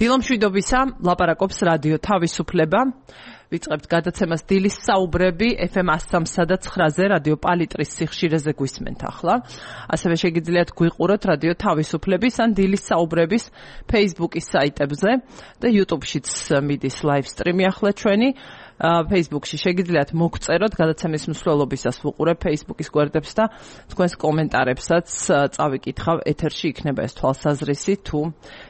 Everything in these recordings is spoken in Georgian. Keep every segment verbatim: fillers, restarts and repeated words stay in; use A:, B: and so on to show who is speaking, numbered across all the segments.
A: დილომშვიდობისა, ლაპარაკობს რადიო თავისუფლება. ვიწყებთ გადაცემას დილის საუბრები ეფ ემ one oh three და nine-ზე რადიო პალიტრის სიხშირეზე გვისმენთ ახლა. ასევე შეგიძლიათ გვიყუროთ რადიო თავისუფლების ან დილის საუბრების Facebook-ის საიტებზე და YouTube-შიც მიდის live stream-ი ახლა ჩვენი. Facebook-ში შეგიძლიათ მოგწეროთ გადაცემის მსვლელობისას ვუყურებ Facebook-ის გვერდებს და თქვენს კომენტარებსაც წავიკითხავ ეთერში იქნება ეს თვალსაზრისი თუ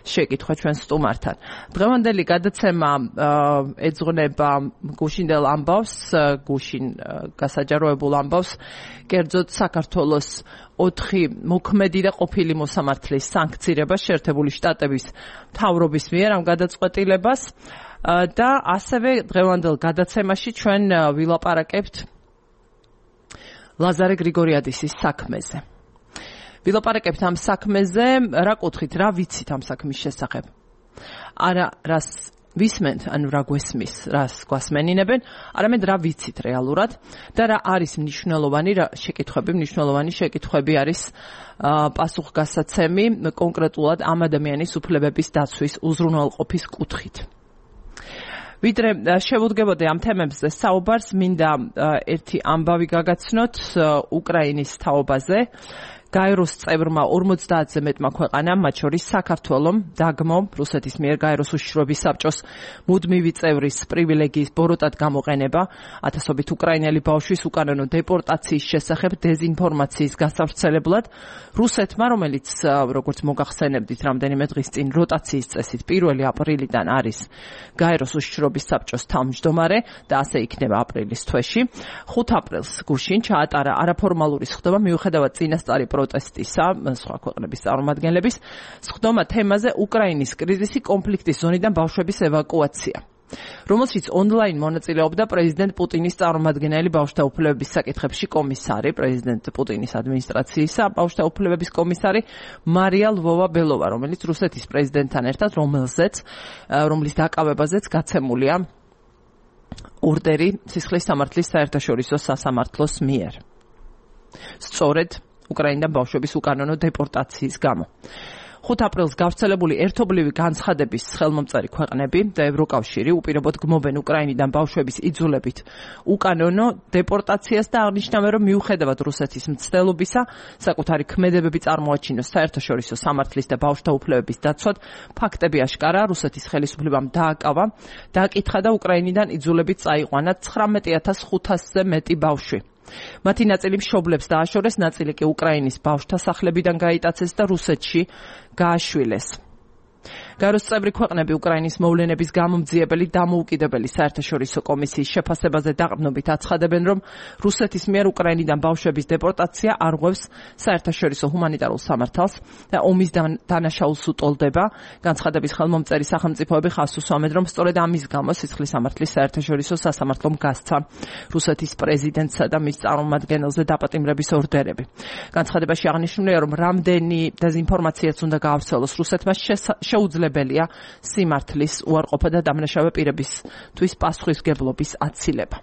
A: შეკითხვა ჩვენ სტუმართან. დღევანდელი გადაცემა ეძღვნება გუშინდელ ამბავს, გუშინ გასაჯაროებულ ამბავს, კერძოდ საქართველოს ოთხი მოქმედი და ყოფილი მოსამართლის სანქცირება შეერთებული შტატების მთავრობის მიერ ამ გადაწყვეტილებას. და ასევე დღევანდელ გადაცემაში ჩვენ ვილაპარაკებთ ლაზარე გრიგორიადისის საქმეზე. ვილაპარაკებთ ამ საქმეზე, რა კუთხით, რა ვიცით ამ საქმის შესახებ. არა რას ვისმენთ, ანუ რა გვესმის, რას გვასმენინებენ, არამედ რა ვიცით რეალურად და რა არის მნიშვნელოვანი, რა შეკითხვები, მნიშვნელოვანი შეკითხვები არის პასუხგასაცემი კონკრეტულად ამ ადამიანის უფლებების დაცვის უზრუნველყოფის კუთხით. ვიდრე შევუდგებოდე ამ თემებზე საუბარს, მინდა ერთი ამბავი გაგაცნოთ უკრაინის თაობაზე. გაეროს წევრმა ორმოცდაათზე მეტმა ქვეყანამ, მათ შორის საქართველომ, დაგმო რუსეთის მიერ გაეროს უშიშროების საბჭოს მუდმივი წევრის პრივილეგიის ბოროტად გამოყენება, ათასობით უკრაინელი ბავშვის უკანონო დეპორტაციის შესახებ დეზინფორმაციის გასავრცელებლად, რუსეთმა, რომელიც როგორც მოგახსენებდით რამდენიმე დღის წინ როტაციის წესით პირველი აპრილიდან არის გაეროს უშიშროების საბჭოს თავმჯდომარე და ასე იქნება აპრილის თვეში, ხუთი აპრილს გუშინ ჩაატარა არაფორმალური სხდომა მიუხედავად წინასწარი პროტესტისა სხვა ქვეყნების წარმომადგენლების სხდომა თემაზე უკრაინის კრიზისი კონფლიქტის ზონიდან ბავშვების ევაკუაცია, რომელშიც ონლაინ მონაწილეობდა პრეზიდენტ პუტინის წარმომადგენელი ბავშვთა უფლებების საკითხებში კომისარი, პრეზიდენტ პუტინის ადმინისტრაციისა ბავშვთა უფლებების კომისარი მარია ლვოვა-ბელოვა, რომელიც რუსეთის პრეზიდენტთან ერთად, რომელზეც რომლის დაკავებაზეც გაცემულია ორდერი სისხლის სამართლის საერთაშორისო სასამართლოს მიერ. სწორედ უკრაინიდან ბავშვების უკანონო დეპორტაციის გამო. ხუთი აპრილს გავრცელებული ერთობლივი განცხადების ხელმომწერი ქვეყნები და ევროკავშირი უპირობოდ გმობენ უკრაინიდან ბავშვების იძულებით უკანონო დეპორტაციას და აღნიშნავენ, რომ მიუხედავად რუსეთის მცდელობისა საკუთარი ქმედებები წარმოაჩინოს საერთაშორისო სამართლის და ბავშვთა უფლებების დაცვად, ფაქტები აშკარაა, რუსეთის ხელისუფლებამ დააკავა, დააკითხა და უკრაინიდან იძულებით წაიყვანა ცხრამეტი ათას ხუთასზე მეტი ბავშვი. მათი ნაწილი მშობლებს დააშორეს, ნაწილი კი უკრაინის ბავშვთა სახლებიდან გაიტაცეს და რუსეთში გააშვილეს. გაეროს წევრი ქვეყნები უკრაინის მოვლენების გამომძიებელი დამოუკიდებელი საერთაშორისო კომისიის შეფასებაზე დაყრდნობით აცხადებენ, რომ რუსეთის მიერ უკრაინიდან ბავშვების დეპორტაცია არღვევს საერთაშორისო ჰუმანიტარულ სამართალს და ომის დანაშაულს უტოლდება. განცხადების ხელმომწერი სახელმწიფოები ხაზს უსვამენ, რომ სწორედ ამის გამო სისხლის სამართლის საერთაშორისო სასამართლომ გასცა რუსეთის პრეზიდენტსა და მის წარმომადგენელზე დაპატიმრების ორდერები. განცხადებაში აღნიშნულია, რომ რამდენი დეზინფორმაციაც უნდა გაავრცელოს რუსეთმა შეუძლებელია სიმართლის უარყოფა და დამნაშავე პირებისთვის პასუხისმგებლობის აცილება.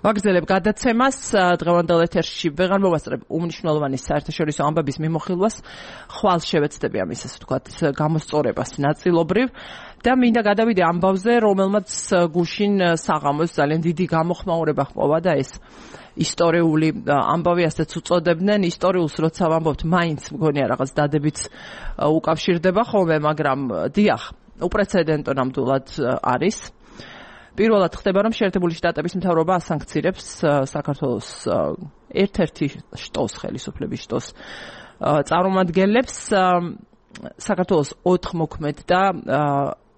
A: ვაგრძელებ გადაცემას, დღევანდელ ეთერში ვეღარ მოვასწრებ უმნიშვნელოვანი საერთაშორისო ამბების მიმოხილვას, ხვალ შევეცდები ამის, ასე ვთქვათ, გამოსწორებას ნაწილობრივ და მინდა გადავიდე ამბავზე, რომელმაც გუშინ საღამოს ძალიან დიდი გამოხმაურება ჰპოვა და ეს ისტორიული ამბავი ასეც უწოდებდნენ. ისტორიულს როცა ვამბობთ, მაინც მგონია რაღაც დადებით უკავშირდება ხოლმე, მაგრამ დიახ, უპრეცედენტო ნამდვილად არის. პირველად ხდება, რომ შეერთებული შტატების მთავრობა ასანქცირებს საქართველოს ერთ-ერთი შტოს, ხელისუფლების შტოს წარმომადგენლებს, საქართველოს ოთხ მოქმედ და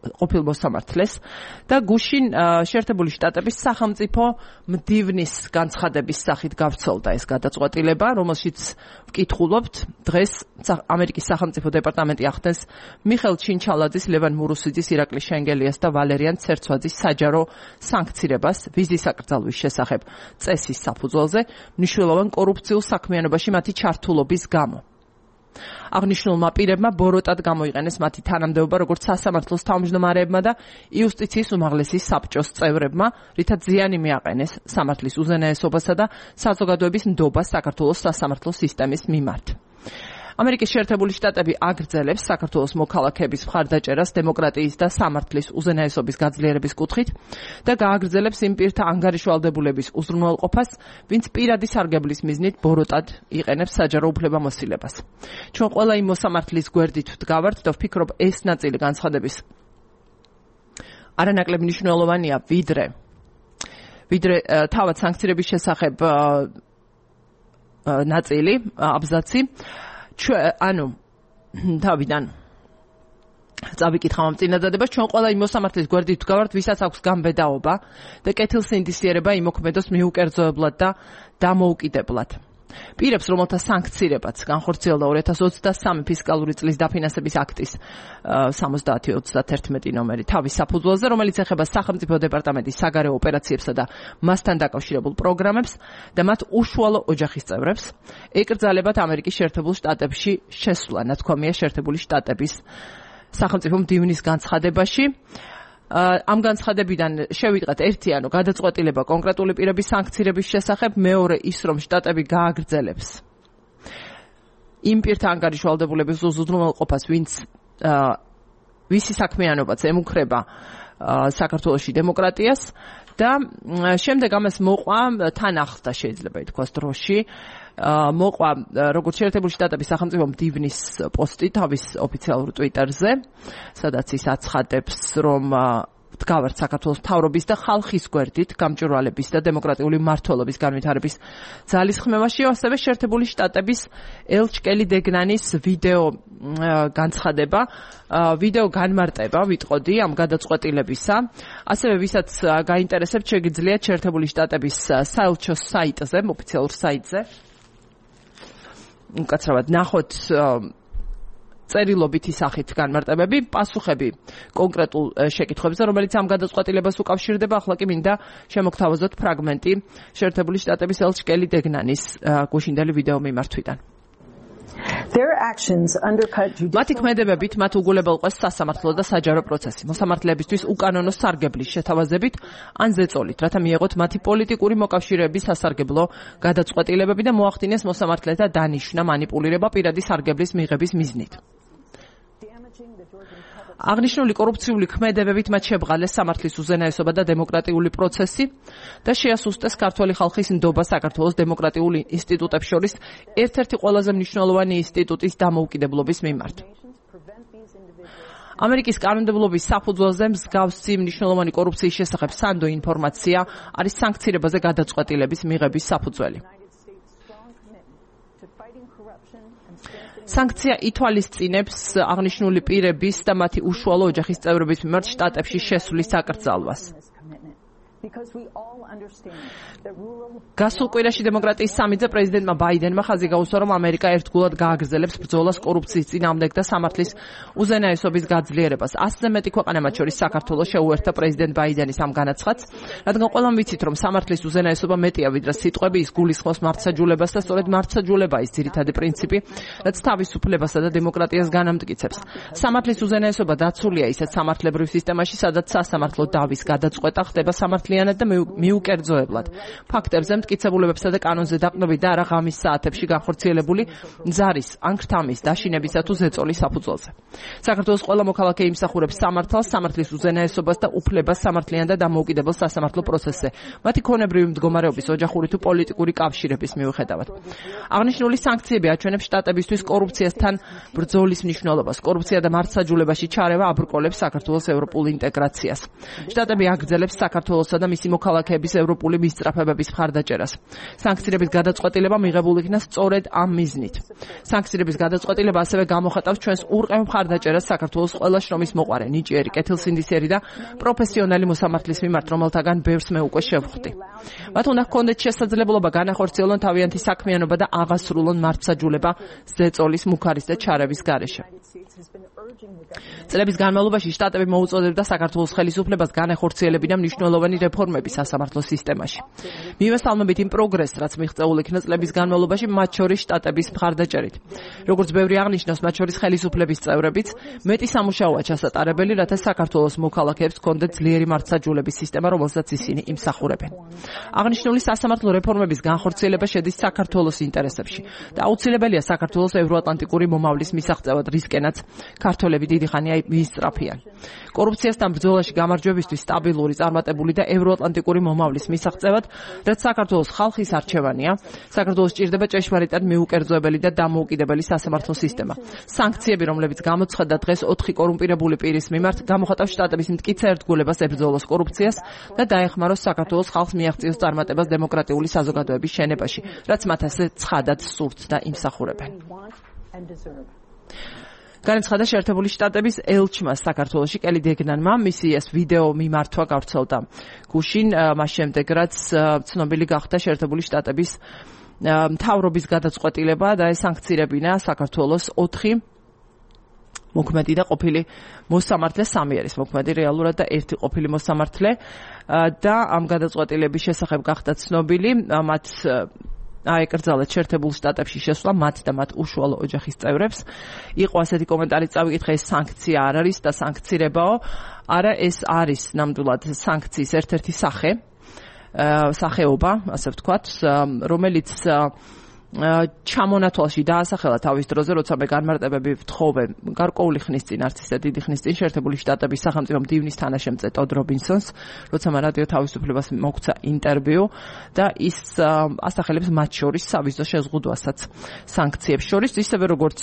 A: ყოფილ მოსამართლეს და გუშინ შეერთებული შტატების სახელმწიფო მდივნის განცხადების სახით გავრცელდა ეს გადაწყვეტილება, რომელშიც ვკითხულობთ დღეს ამერიკის სახელმწიფო დეპარტამენტი ახდენს მიხელ ჩინჩალაძის, ლევან მურუსიძის, ირაკლი შენგელიას და ვალერიან ცერცვაძის საჯარო სანქცირებას ვიზის აკრძალვის შესახებ წესის საფუძველზე მნიშვნელოვან კორუფციულ საქმიანობაში მათი ჩართულობის გამო. აღნიშნულმა პირებმა ბოროტად გამოიყენეს მათი თანამდებობა როგორც სასამართლოს თავმჯდომარეებმა და იუსტიციის უმაღლესი საბჭოს წევრებმა, რითაც ზიანი მიაყენეს სამართლის უზენაესობასა და საზოგადოების ნდობას საქართველოს სასამართლო სისტემის მიმართ. ამერიკის შეერთებული შტატები აგრძელებს საქართველოს მოქალაქეების მხარდაჭერას დემოკრატიის და სამართლის უზენაესობის გაძლიერების კუთხით და გააგრძელებს იმ პირთა ანგარიშვალდებულების უზრუნველყოფას, ვინც პირადი სარგებლის მიზნით ბოროტად იყენებს საჯარო უფლებამოსილებას. ჩვენ ყველა იმ მოსამართლის გვერდით ვდგავართ და ვფიქრობ, ეს ნაწილი განცხადების არანაკლებ მნიშვნელოვანია, ვიდრე ვიდრე თავად სანქციების შესახებ ნაწილი, აბზაცი. ანუ თავიდან წავიკითხავ ამ წინადადებას, ჩვენ ყველა იმ მოსამართლის გვერდით ვდგავართ, ვისაც აქვს გამბედაობა და კეთილსინდისიერება იმოქმედოს მიუკერძოებლად და დამოუკიდებლად. პირებს, რომელთა სანქციებაც განხორციელდა ორი ათას ოცდასამი ფისკალური წლის დაფინანსების აქტის სამოცდაათი ოცდაათი ნომერი თავის საფუძველზე, რომელიც ეხება სახელმწიფო დეპარტამენტის საგარეო ოპერაციებსა და მასთან დაკავშირებულ პროგრამებს და მათ უშუალო ოჯახის წევრებს, ეკრძალებათ ამერიკის შეერთებულ შტატებში შესვლა, ნათქვამია შეერთებული შტატების სახელმწიფო მდივნის განცხადებაში. ამ განცხადებიდან შევიტყეთ ერთი, ანუ გადაწყვეტილება კონკრეტული პირების სანქციების შესახებ, მეორე ის, რომ შტატები გააგრძელებს იმ პირთა ანგარიშვალდებულების უზრუნველყოფას, ვინც ვისი საქმიანობაც ემუქრება საქართველოში დემოკრატიას და შემდეგ ამას მოყვა თან ახლდა შეიძლება ითქვას დროში მოყვა როგორც შეერთებული შტატების სახელმწიფო მდივნის პოსტი თავის ოფიციალურ ტვიტერზე, სადაც ის აცხადებს, რომ ვდგავართ საქართველოს მთავრობის და ხალხის გვერდით გამჭვირვალების და დემოკრატიული მმართველობის განვითარების ძალისხმევაში, ასევე შეერთებული შტატების ელჩკელი დეგნანის ვიდეო განცხადება, ვიდეო განმარტება ვიტყოდი ამ გადაწყვეტილებისა, ასევე ვისაც გაინტერესებთ, შეგიძლიათ შეერთებული შტატების საელჩოს საიტზე, ოფიციალურ საიტზე უკაცრავად ნახოთ წერილობითი სახით განმარტებები, პასუხები კონკრეტულ შეკითხვებზე, რომელიც ამ გადაწყვეტილებას უკავშირდება. ახლა კი მინდა შემოგთავაზოთ ფრაგმენტი შეერთებული შტატების ელჩკელი დეგნანის გუშინდელი ვიდეო მიმართვიდან. მათი ქმედებებით მათ უგულებელყვეს სასამართლო და საჯარო პროცესი, მოსამართლეებისთვის უკანონო სარგებლის შეთავაზებით ან ზეწოლით, რათა მიეღოთ მათი პოლიტიკური მოკავშირეების სასარგებლო გადაწყვეტილებები და მოახდინეს მოსამართლეთა დანიშვნა მანიპულირება პირადი სარგებლის მიღების მიზნით. აღნიშნული კორუფციული ქმედებებით მათ შებრალეს სამართლის უზენაესობა და დემოკრატიული პროცესი და შეასუსტეს ქართველი ხალხის ნდობა საქართველოს დემოკრატიულ ინსტიტუტებს შორის ერთ-ერთი ყველაზე მნიშვნელოვანი ინსტიტუტის დამოუკიდებლობის მიმართ. ამერიკის კანონმდებლობის საფუძველზე მსგავსი მნიშვნელოვანი კორუფციის შესახებ სანდო ინფორმაცია არის სანქციებაზე გადაწყვეტილების მიღების საფუძველი. სანქცია ითვალისწინებს აღნიშნული პირების და მათი უშუალო ოჯახის წევრების მიმართ შტატებში შესვლის აკრძალვას. გასულ კვირაში დემოკრატიის სამიტზე პრეზიდენტმა ბაიდენმა ხაზი გაუსვა, რომ ამერიკა ერთგულად გააგრძელებს ბრძოლას კორუფციის წინააღმდეგ და სამართლის უზენაესობის გაძლიერებას. ასზე მეტი ქვეყანა, მათ შორის საქართველოს, შეუერთდა პრეზიდენტ ბაიდენის ამ განაცხადს, რადგან ყველამ ვიცით, რომ სამართლის უზენაესობა მეტია ვიდრე სიტყვები, ის გულისხმობს მართლმსაჯულებას და სწორედ მართლმსაჯულება ის ძირითადი პრინციპი, რაც თავისუფლებასა და დემოკრატიას განამტკიცებს. სამართლის უზენაესობა დაცულია ისეთ სამართლებრივ სისტემაში, სადაც სასამართლო დავის გადაწყვეტა ხდება სამართლიანად და მიუკერძოებლად. ფაქტებზე, მტკიცებულებებსა და კანონზე დაყრდნობით და არა ღამის საათებში განხორციელებული ზარის ან ქრთამის დაშინებისა თუ ზეწოლის საფუძველზე. საქართველოს ყველა მოქალაქე იმსახურებს სამართალს, სამართლის უზენაესობას და უფლებას სამართლიან და დამოუკიდებელ სასამართლო პროცესზე, მათი ქონებრივი მდგომარეობის, ოჯახური თუ პოლიტიკური კავშირების მიუხედავად. აღნიშნული სანქციები აჩვენებს შტატებისთვის კორუფციასთან ბრძოლის მნიშვნელობას. კორუფცია და მართლმსაჯულებაში ჩარევა აბრკოლებს საქართველოს ევროპულ ინტეგრაციას. შტატები აგრძელებს საქართველოსა და მისი მოქალაქეების ევროპული მისწრაფებების მხარდაჭერას. სანქციების გადაწყვეტილება მიღებული იქნა სწორედ ამ მიზნით. სანქციების გადაწყვეტილება ასევე გამოხატავს ჩვენს ურყევ მხარდაჭერას საქართველოს ყველა შრომის მოყვარე, ნიჭიერი, კეთილსინდისიერი და პროფესიონალი მოსამართლის მიმართ, რომელთაგან ბევრს მე უკვე შევხვდი. მათ უნდა ჰქონდეთ შესაძლებლობა განახორციელონ თავიანთი საქმიანობა და აღასრულონ მართლმსაჯულება ზეწოლის, მუქარის და ჩარევის გარეშე. წლების განმავლობაში შტატები მოუწოდებდა საქართველოს ხელისუფლებას განეხორციელებინა მნიშვნელოვანი რეფორმები სასამართლო სისტემაში. მივესალმებით იმ პროგრესს, რაც მიღწეულ იქნა წლების განმავლობაში, მათ შორის შტატების მხარდაჭერით. როგორც ბევრი აღნიშნავს, მათ შორის ხელისუფლების წევრებიც, მეტი სამუშაოა ჩასატარებელი, რათა საქართველოს მოქალაქეებს ჰქონდეთ ძლიერი მართლმსაჯულების სისტემა, რომელსაც ისინი იმსახურებენ. აღნიშნული სასამართლო რეფორმების განხორციელება შედის საქართველოს ინტერესებში და აუცილებელია საქართველოს ევროატლანტიკური მომავლის მისაღწევად, რისკენაც ქართველები დიდი ხანია მიისწრაფიან. კორუფციასთან ბრძოლაში გამარჯვებისთვის სტაბილური, წარმატებული და ევროატლანტიკური მომავლის მისაღწევად, რაც საქართველოს ხალხის არჩევანია, საქართველოს სჭირდება ჭეშმარიტად მიუკერძოებელი და დამოუკიდებელი სასამართლო სისტემა. სანქციები, რომლებიც გამოცხადდა დღეს ოთხი კორუმპირებული პირის მიმართ, გამოხატავს შტატების მტკიცე ერთგულებას ებრძოლოს კორუფციას და დაეხმაროს საქართველოს ხალხს მიაღწიოს წარმატებას დემოკრატიული საზოგადოების შენებაში, რაც მათ ასე ცხადად სურთ და იმსახურებენ. განაცხადა შეერთებული შტატების ელჩმა საქართველოში კელი დეგნანმა, მისი ეს ვიდეო მიმართვა გავრცელდა გუშინ, მას შემდეგ რაც ცნობილი გახდა შეერთებული შტატების მთავრობის გადაწყვეტილება და ესანქცირებინა საქართველოს ოთხი მოქმედი და ყოფილი მოსამართლე, სამი არის მოქმედი რეალურად და ერთი ყოფილი მოსამართლე და ამ გადაწყვეტილების შესახებ გახდა ცნობილი, მათ აეკრძალათ შეერთებულ შტატებში შესვლა მათ და მათ უშუალო ოჯახის წევრებს. იყო ასეთი კომენტარი წავიკითხე, ეს სანქცია არ არის და სანქცირებაო, არა, ეს არის ნამდვილად სანქციის ერთ-ერთი სახე, სახეობა, ასე ვთქვათ, რომელიც ჩამონათვალში დაასახელა თავის დროზე, როცა მე განმარტებები ვთხოვე გარკვეული ხნის წინ, არც ისე დიდი ხნის წინ, შეერთებული შტატების სახელმწიფო მდივნის თანაშემწე ტოდ რობინსონს, როცა მან რადიო თავისუფლებას მოგცა ინტერვიუ და ის ასახელებს მათ შორის სავიზო შეზღუდვასაც სანქციებს შორის, ისევე როგორც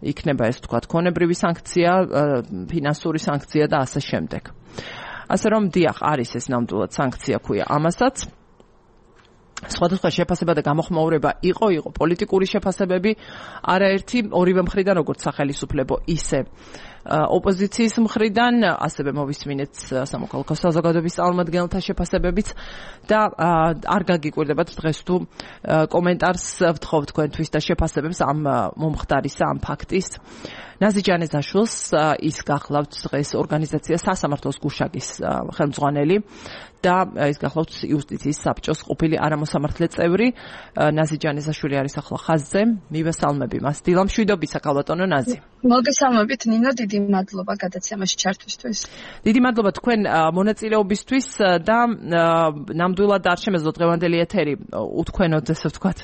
A: იქნება ეს ვთქვათ ქონებრივი სანქცია, ფინანსური სანქცია და ასე შემდეგ. ასე რომ დიახ, არის ეს ნამდვილად სანქცია ქვია ამასაც. სხვადასხვა შეფასება და გამოხმაურება იყო, იყო პოლიტიკური შეფასებები, არაერთი ორივე მხრიდან, როგორც სახელისუფლებო, ისე ოპოზიციის მხრიდან, ასევე მოვისმინეთ სამოქალაქო საზოგადოების წარმომადგენელთა შეფასებებიც და არ გაგიკვირდებათ დღეს თუ კომენტარს ვთხოვ თქვენთვის და შეფასებებს ამ მომხდარისა, ამ ფაქტის. ნაზი ჯანეზაშვილს ის გახლავთ დღეს ორგანიზაცია სასამართლოს გუშაგის ხელმძღვანელი და ის გახლავთ იუსტიციის საბჭოს ყოფილი არამოსამართლე წევრი. ნაზი ჯანეზაშვილი არის ახლა ხაზზე. მივესალმები მას. დილამშვიდობისა, ქალბატონო ნაზი.
B: მოგესალმებით ნინო, დიდი მადლობა გადაცემაში ჩართვისთვის.
A: დიდი მადლობა თქვენ მონაწილეობისთვის და ნამდვილად არ შემეძლო დღევანდელი ეთერი უთქვენოთ, ესე ვთქვათ.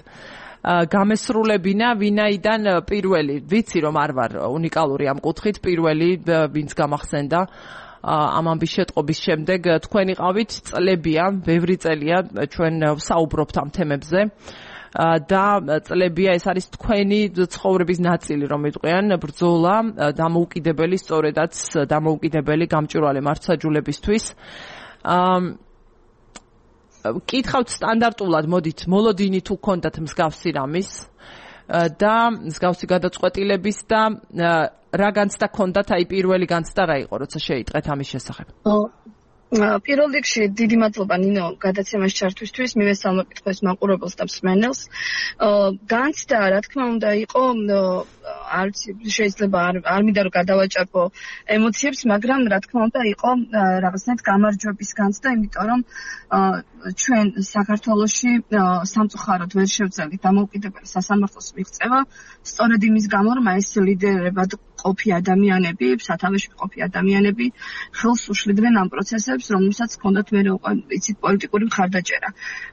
A: გამესრულებინა, ვინაიდან პირველი, ვიცი რომ არ ვარ უნიკალური ამ კუთხით, პირველი ვინც გამახსენდა ამ ამბის შეტყობის შემდეგ, თქვენ იყავით, წლებია, ბევრი წელია ჩვენ საუბრობთ ამ თემებზე და წლებია ეს არის თქვენი ცხოვრების ნაწილი, რომ ვიტყვიან, ბრძოლა დამოუკიდებელი, სწორედაც დამოუკიდებელი გამჭვირვალე მართლმსაჯულებისთვის. კითხავთ სტანდარტულად, მოდით, მოლოდინი თუ გქონდათ მსგავსი რამის და მსგავსი გადაწყვეტილების და რა განცდა გქონდათ, აი პირველი განცდა რა იყო, როცა შეიტყეთ ამის შესახებ?
B: პირველ რიგში დიდი მადლობა ნინო გადაცემაში ჩართვისთვის, მივესალმებით თქვენს მაყურებელს და მსმენელს. განცდა, რა თქმა უნდა, იყო, არც შეიძლება არ მინდა რომ გადავაჭარბო ემოციებს, მაგრამ რა თქმა უნდა, იყო რაღაცნაირად გამარჯვების განცდა, იმიტომ რომ ჩვენ საქართველოში სამწუხაროდ ვერ შევძელით დამოუკიდებელი სასამართლოს მიღწევა, სწორედ იმის გამო, რომ ეს ლიდერებად ყოფი ადამიანები, სათავეში ყოფი ადამიანები ხელს უშლიდნენ ამ პროცესებს, რომელსაც ჰქონდათ მე იცით პოლიტიკური მხარდაჭერა.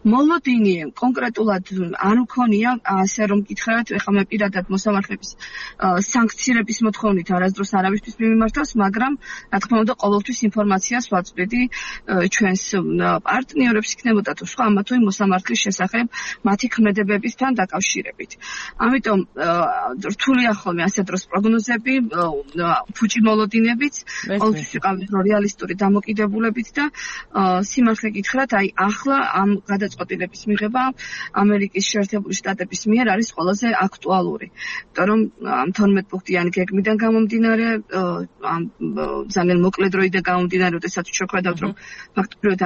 B: მოლოდინი კონკრეტულად არ მქონია, ასე რომ გითხრათ, ეხლა მე პირადად მოსამართლების სანქცირების მოთხოვნით არასდროს არავისთვის მიმართავს, მაგრამ რა თქმა უნდა ყოველთვის ინფორმაციას ვაწვდიდი ჩვენს პარტნიორებს იქნებოდა თუ სხვა ამა თუ იმ მოსამართლის შესახებ მათი ქმედებებისთან დაკავშირებით. ამიტომ რთულია ხოლმე ასე დროს პროგნოზები, ფუჭი მოლოდინებიც, ყოველთვის ვიყავით რეალისტური დამოკიდებულებით და სიმართლე გითხრათ, აი ახლა ამ გადაწყვეტილების მიღება ამერიკის შეერთებული შტატების მიერ არის ყველაზე აქტუალური. იმიტომ რომ ამ თორმეტ პუნქტიანი გეგმიდან გამომდინარე, ამ ძალიან მოკლე დროიდან გამომდინარე, როდესაც შეხვედავთ, რომ ფაქტობრივად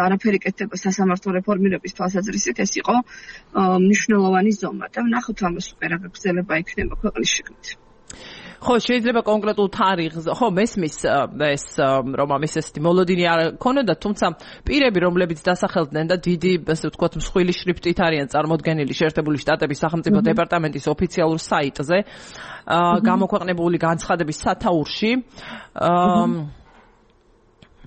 B: არაფერი კეთდება სასამართლო რეფორმირების თვალსაზრისით, ეს იყო მნიშვნელოვანი ზომა და ვნახოთ ამას უკვე რა გაგრძელება იქნება ქვეყნის შიგნით.
A: ხო, შეიძლება კონკრეტულ თარიღზე, ხო, მესმის ეს რომ ამის ესეთი მოლოდინი არ ქონოდა, თუმცა პირები, რომლებიც დასახელდნენ და დიდი, ასე ვთქვათ, მსხვილი შრიფტით არიან წარმოდგენილი შეერთებული შტატების სახელმწიფო დეპარტამენტის ოფიციალურ საიტზე, გამოქვეყნებული განცხადების სათაურში,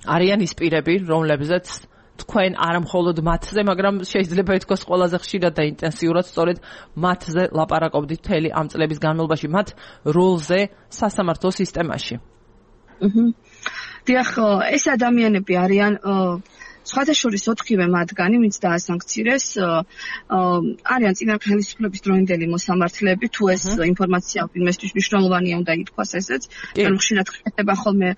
A: არიან ის პირები, რომლებზეც თქვენ არ მხოლოდ მათზე, მაგრამ შეიძლება ითქვას ყველაზე ხშირად და ინტენსიურად სწორედ მათზე ლაპარაკობდით მთელი ამ წლების განმავლობაში, მათ როლზე სასამართლო სისტემაში.
B: დიახ, ეს ადამიანები არიან სხვადასხვა ოთხივე მათგანი, ვინც დაასანქცირეს, არიან წინა ხელისუფლების დროინდელი მოსამართლეები, თუ ეს ინფორმაცია ვინმესთვის მნიშვნელოვანია უნდა ითქვას ესეც, რომ ხშირად ხდება ხოლმე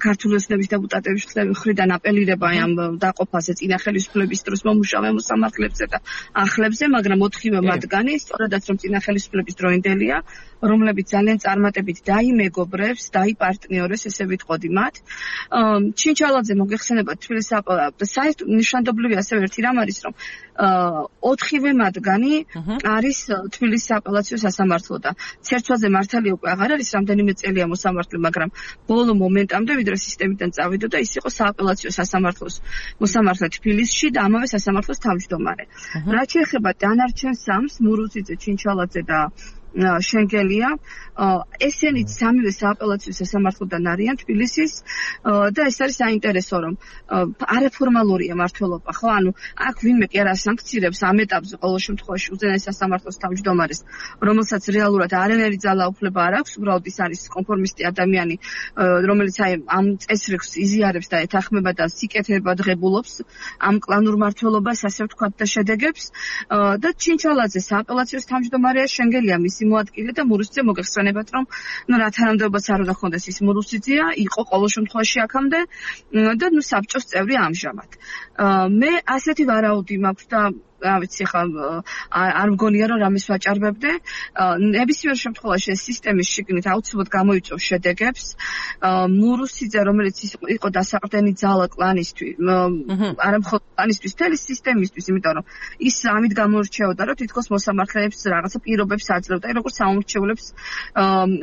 B: ქართული ოცნების დეპუტატების მხრიდან აპელირება ამ დაყოფაზე წინა ხელისუფლების დროს მომუშავე მოსამართლეებზე და ახლებზე, მაგრამ ოთხივე მათგანი, სწორედაც რომ წინა ხელისუფლების დროინდელია, რომლებიც ძალიან წარმატებით დაიმეგობრებს, დაიპარტნიორეს, ესე ვიტყოდი მათ. ჩინჩალაძე მოგეხსენებათ თბილისის აპელაციო საერთოდ ნიშანდობლივი ასევე ერთი რამ არის, რომ ოთხივე მათგანი არის თბილისის აპელაციო სასამართლო და ცერცვაზე მართალი უკვე აღარ არის რამდენიმე წელია მოსამართლე, მაგრამ ბოლო მომენტამდე ვიდრე სისტემიდან წავიდოდა, ის იყო სააპელაციო სასამართლოს მოსამართლე თბილისში და ამავე სასამართლოს თავმჯდომარე. რაც შეეხება დანარჩენ სამს, მურუციძე, ჩინჩალაძე და შენგელია, ესენიც სამივე სააპელაციო სასამართლოდან არიან თბილისის და ეს არის საინტერესო, რომ არაფორმალურია მართლობა, ხო? ანუ აქ ვინმე კი არ ასანქცირებს ამ ეტაპზე ყოველ შემთხვევაში უზენაეს სასამართლოს თავმჯდომარეს, რომელსაც რეალურად არანაირი ძალაუფლება არ აქვს, უბრალოდ ის არის კონფორმისტი ადამიანი, რომელიც აი ამ წესრიგს იზიარებს და ეთანხმება და სიკეთებად ღებულობს ამ კლანურ მართლობას, ასე ვთქვათ, და შედეგებს და ჩინჩალაძე სააპელაციოს თავმჯდომარეა, შენგელია მის მოადგილე და მურუსიძე მოგეხსენებათ, რომ ნუ რა თანამდებობაც არ უნდა ხონდეს, ის მურუსიძეა, იყო ყოველ შემთხვევაში აქამდე და ნუ საბჭოს წევრი ამჟამად. მე ასეთი ვარაუდი მაქვს და რა ვიცი, ხა არ მგონია რომ რამის ვაჭარბებდე. ნებისმიერ შემთხვევაში ეს სისტემის შიგნით აუცილებლად გამოიწვევს შედეგებს. მურუსიძე, რომელიც იყო დასაყრდენი ძალა კლანისთვის, არა მხოლოდ კლანისთვის, მთელი სისტემისთვის, იმიტომ რომ ის ამით გამოირჩეოდა, რომ თითქოს მოსამართლეებს რაღაცა პირობებს აძლევდა, როგორც საომრჩევლებს,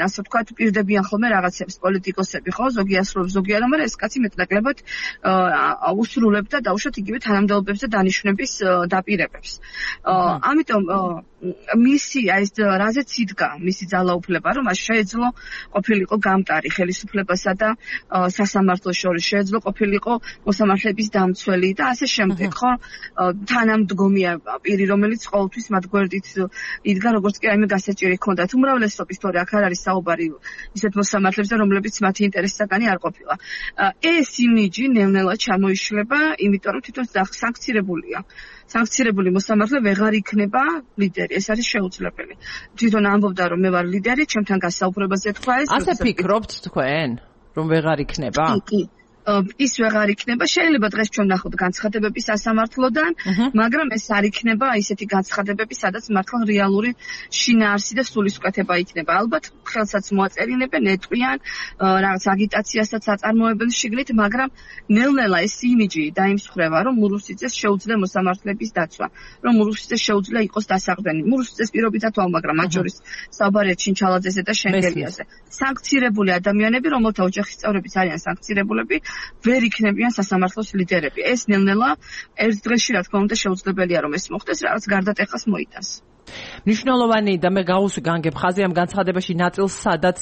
B: ასე ვთქვათ, პირდებიან ხოლმე რაღაცებს პოლიტიკოსები, ხო, ზოგი ასრულებს, ზოგი არა, მაგრამ ეს კაცი მეტნაკლებად უსრულებდა დაუშვათ იგივე თანამდებობებს და დანიშვნების დაპირებებს. ამიტომ მისი ეს რაზეც იდგა მისი ძალაუფლება, რომ მას შეეძლო ყოფილიყო გამტარი ხელისუფლებასა და სასამართლოს შორის, შეეძლო ყოფილიყო მოსამართლეების დამცველი და ასე შემდეგ, ხო? თანამდგომია პირი, რომელიც ყოველთვის მათ გვერდით იდგა, როგორც კი აიმე გასაჭირი ჰქონდათ. უმრავლესობის თორე აქ არ არის საუბარი ისეთ მოსამართლეებზე, რომლებიც მათი ინტერესისაგანი არ ყოფილა. ეს იმიჯი ნელ-ნელა ჩამოიშლება, იმიტომ რომ თვითონ სანქცირებულია. სანქცირებული მოსამართლე ვეღარ იქნება ლიდერი, ეს არის შეუძლებელი. თვითონ ამბობდა, რომ მე ვარ ლიდერი, ჩემთან გასაუბრებაზე თქვა ეს.
A: ასე ფიქრობთ თქვენ, რომ ვეღარ იქნება?
B: კი, ის ვეღარ იქნება. შეიძლება დღეს ჩვენ ნახოთ განცხადებები სასამართლოდან, მაგრამ ეს არ იქნება ისეთი განცხადებები, სადაც მართლა რეალური შინაარსი და სულისკვეთება იქნება. ალბათ ხელსაც მოაწერინებენ, ეტყვიან, რაღაც აგიტაციასაც აწარმოებენ შიგნით, მაგრამ ნელ-ნელა ეს იმიჯი დაიმსხვრევა, რომ მურუსიძეს შეუძლია მოსამართლეების დაცვა, რომ მურუსიძეს შეუძლია იყოს დასაყრდენი. მურუსიძეს პირობითად ვაუ, მაგრამ მათ შორის საუბარია ჩინჩალაძეზე და შენგელიაზე. სანქცირებული ადამიანები, რომელთა ოჯახის წევრებიც არიან სანქცირებულები, ვერ იქნებიან სასამართლოს ლიდერები. ეს ნელ-ნელა ერთ დღეში, რა თქმა უნდა, შეუძლებელია რომ ეს მოხდეს, რაღაც გარდატეხას მოიტანს.
A: მნიშვნელოვანი და მე გაუსვი განგებ ხაზი ამ განცხადებაში ნაწილს, სადაც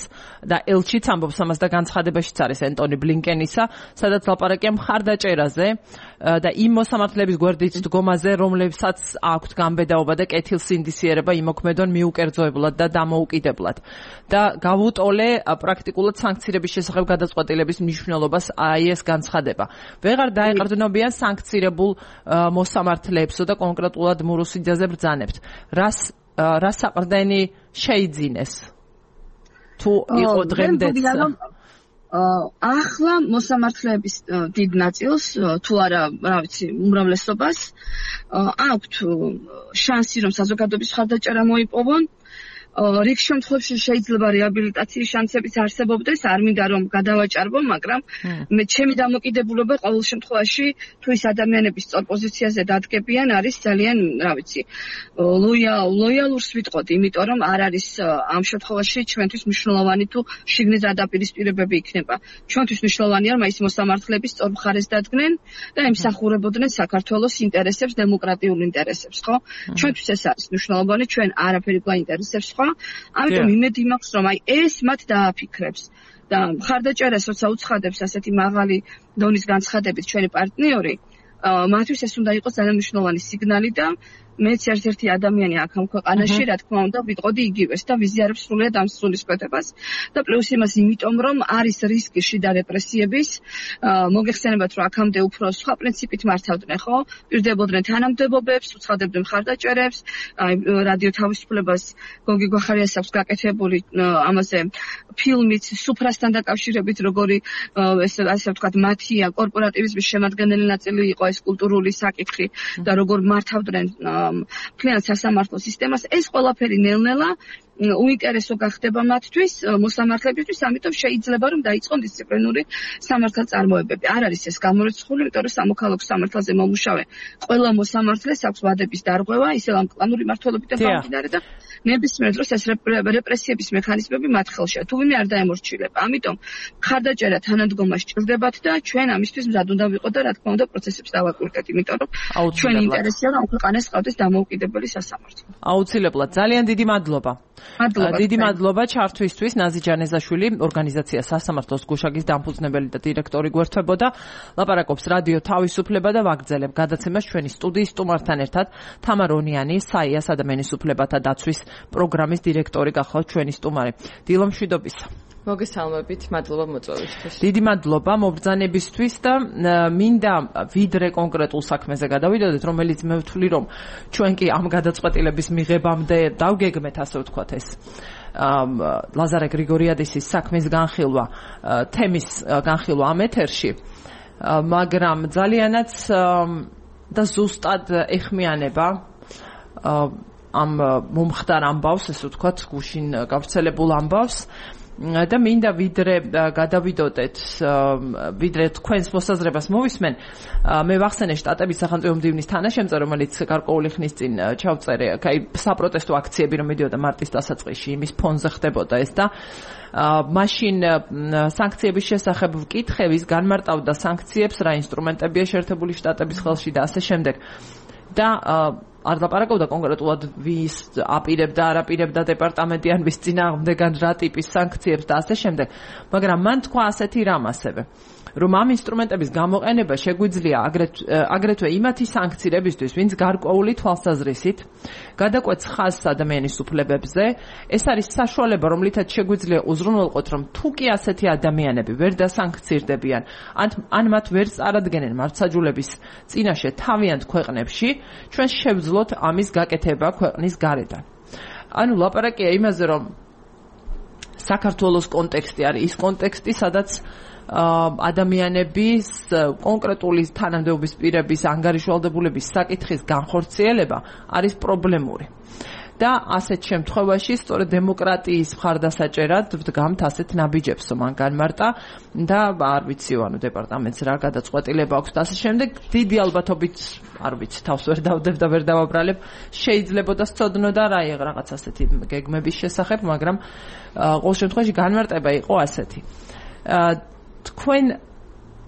A: და ელჩიც ამბობს ამას და განცხადებაშიც არის ენტონი ბლინკენისა, სადაც ლაპარაკია მხარდაჭერაზე და იმ მოსამართლეების გვერდით დგომაზე, რომლებსაც აქვთ განბედაობა და კეთილსინდისიერება იმოქმედონ მიუკერძოებლად და დამოუკიდებლად. და გავუტოლე პრაქტიკულად სანქცირების შესახებ გადაწყვეტილების მნიშვნელობას აი ეს განცხადება. ვეღარ დაეყრდნობიან სანქცირებულ მოსამართლეებსო და კონკრეტულად მურუსიძეზე ბრძანებთ. რას რას საყრდენი შეიძინეს? თუ იყო დღემდეც
B: ახლა მოსამართლეების დიდ ნაწილს, თუ არა, რა ვიცი, უმრავლესობას აქვთ შანსი, რომ საზოგადოების მხარდაჭერა მოიპოვონ. რიგ შემთხვევაში შეიძლება რეაბილიტაციის შანსებიც არსებობდეს, არ მინდა რომ გადავაჭარბო, მაგრამ მე ჩემი დამოკიდებულება ყოველ შემთხვევაში თუ ის ადამიანების სწორ პოზიციაზე დადგებიან არის ძალიან, რა ვიცი, ლოიალ ლოიალურს ვიტყოდი, იმიტომ რომ არ არის ამ შემთხვევაში ჩვენთვის მნიშვნელოვანი თუ შიგნით დაპირისპირებები იქნება. ჩვენთვის მნიშვნელოვანია რომ ის მოსამართლეების სწორ მხარეს დადგნენ და ემსახურებოდნენ საქართველოს ინტერესებს, დემოკრატიულ ინტერესებს, ხო? ჩვენთვის ეს არის მნიშვნელოვანი, ჩვენ არაფერი გვაინტერესებს სხვა. ამიტომ იმედი მაქვს რომ აი ეს მათ დააფიქრებს და მხარდაჭერას როცა უცხადებს ასეთი მაღალი დონის განცხადებით ჩვენი პარტნიორი, მათთვის ეს უნდა იყოს ძალიან მნიშვნელოვანი სიგნალი და მეც ერთ-ერთი ადამიანი აქ ამ ქვეყანაში, რა თქმა უნდა, ვიტყოდი იგივეს და ვიზიარებ სრულიად ამ სულისკვეთებას და პლუს იმას იმიტომ, რომ არის რისკი შიდა რეპრესიების, მოგეხსენებათ, რომ აქამდე უფრო სხვა პრინციპით მართავდნენ, ხო? პირდებოდნენ თანამდებობებს, უცხადებდნენ მხარდაჭერებს, აი რადიო თავისუფლებას გოგი გვახარიას აქვს გაკეთებული ამაზე ფილმიც სუფრასთან დაკავშირებით, როგორი ესე ასე ვთქვათ, მათია კორპორატივიზმის შემადგენელი ნაწილი იყო ეს კულტურული საკითხი და როგორ მართავდნენ ფლიან სასამართლო სისტემას, ეს ყველაფერი ნელ-ნელა უინტერესო გახდება მათთვის, მოსამართლებისთვის, ამიტომ შეიძლება რომ დაიწყონ დისციპლინური სამართალწარმოებები. არ არის ეს გამორიცხული, იმიტომ რომ სამოქალაქო სამართალზე მომუშავე ყველა მოსამართლეს აქვს ვადების დარღვევა, ისევ ამ კლანური მმართველობიდან გამომდინარე და ნებისმიერ დროს ეს რეპრესიების მექანიზმები მათ ხელშია. თუ ვინმე არ დაემორჩილება. ამიტომ მხარდაჭერა თანადგომა სჭირდებათ და ჩვენ ამისთვის მზად უნდა ვიყოთ და რა თქმა უნდა პროცესებს დავაკვირდეთ, იმიტომ რომ ჩვენი ინტერესია რომ ქვეყანას ყავდეს დამოუკიდებელი სასამართლო.
A: აუცილებლად. ძალიან დიდი მადლობა.
B: მადლობა.
A: დიდი მადლობა ჩართვისთვის. ნაზი ჯანეზაშვილი, ორგანიზაცია სასამართლოს გუშაგის დამფუძნებელი და დირექტორი გვერდთვებოდა. ლაპარაკობს რადიო თავისუფლება და ვაგრძელებ გადაცემას ჩვენი სტუდიის სტუმართან ერთად. თამარ ონიანი, საიას ადამიანის უფლებათა დაცვის პროგრამის დირექტორი გახლავთ ჩვენი სტუმარი. დილო მშვიდობისა.
C: მოგესალმებით, მადლობა მოწვევისთვის.
A: დიდი მადლობა მობრძანებისთვის და მინდა ვიდრე კონკრეტულ საქმეზე გადავიდოდეთ, რომელიც მე ვთვლი რომ ჩვენ კი ამ გადაწყვეტილების მიღებამდე დავგეგმეთ, ასე ვთქვათ ეს ლაზარე გრიგორიადისის საქმის განხილვა, თემის განხილვა ამ ეთერში, მაგრამ ძალიანაც და ზუსტად ეხმიანება ამ მომხდარ ამბავს, ესე ვთქვათ, გუშინ გავრცელებულ ამბავს და მინდა ვიდრე გადავიდოდეთ, ვიდრე თქვენს მოსაზრებას მოვისმენ, მე ვახსენე შტატების სახელმწიფო მდივნის თანაშემწე, რომელიც გარკვეული ხნის წინ ჩავწერე, აი საპროტესტო აქციები რომ მიდიოდა მარტის დასაწყისში, იმის ფონზე ხდებოდა ეს და მაშინ სანქციების შესახებ ვკითხების განმარტავდა სანქციებს, რა ინსტრუმენტებია შეერთებული შტატების ხელში და ასე შემდეგ. და არ ლაპარაკობდა კონკრეტულად ვის აპირებდა, არ აპირებდა დეპარტამენტი ან ვის წინააღმდეგან რა ტიპის სანქციებს და ასე შემდეგ, მაგრამ მან თქვა ასეთი რამ ასევე, რომ ამ ინსტრუმენტების გამოყენება შეგვიძლია აგრეთვე იმათი სანქციებისთვის, ვინც გარკვეული თვალსაზრისით გადაკვეთს ხაზს ადამიანის უფლებებზე. ეს არის საშუალება, რომლითაც შეგვიძლია უზრუნველყოთ, რომ თუ კი ასეთი ადამიანები ვერ დასანქცირდებიან, ან მათ ვერ წარადგენენ მართლმსაჯულების წინაშე თავიანთ ქვეყნებში, ჩვენ შევძლოთ ამის გაკეთება ქვეყნის გარედან. ანუ ლაპარაკია იმაზე, რომ საქართველოს კონტექსტი არის ის კონტექსტი, სადაც ადამიანების კონკრეტული თანამდებობის პირების ანგარიშვალდებულების საკითხის განხორციელება არის პრობლემური. და ასეთ შემთხვევაში სწორედ დემოკრატიის მხარდასაჭერად ვდგამთ ასეთ ნაბიჯებს, მან განმარტა და არ ვიცი, ანუ დეპარტამენტს რა გადაწყვეტილება აქვს და ასე შემდეგ. დიდი ალბათობით, არ ვიცი, თავს ვერ დავდებ და ვერ დავაბრალებ, შეიძლება და სწოდნოდა რა რაღაც ასეთი გეგმების შესახებ, მაგრამ ყოველ შემთხვევაში განმარტება იყო ასეთი. თქვენ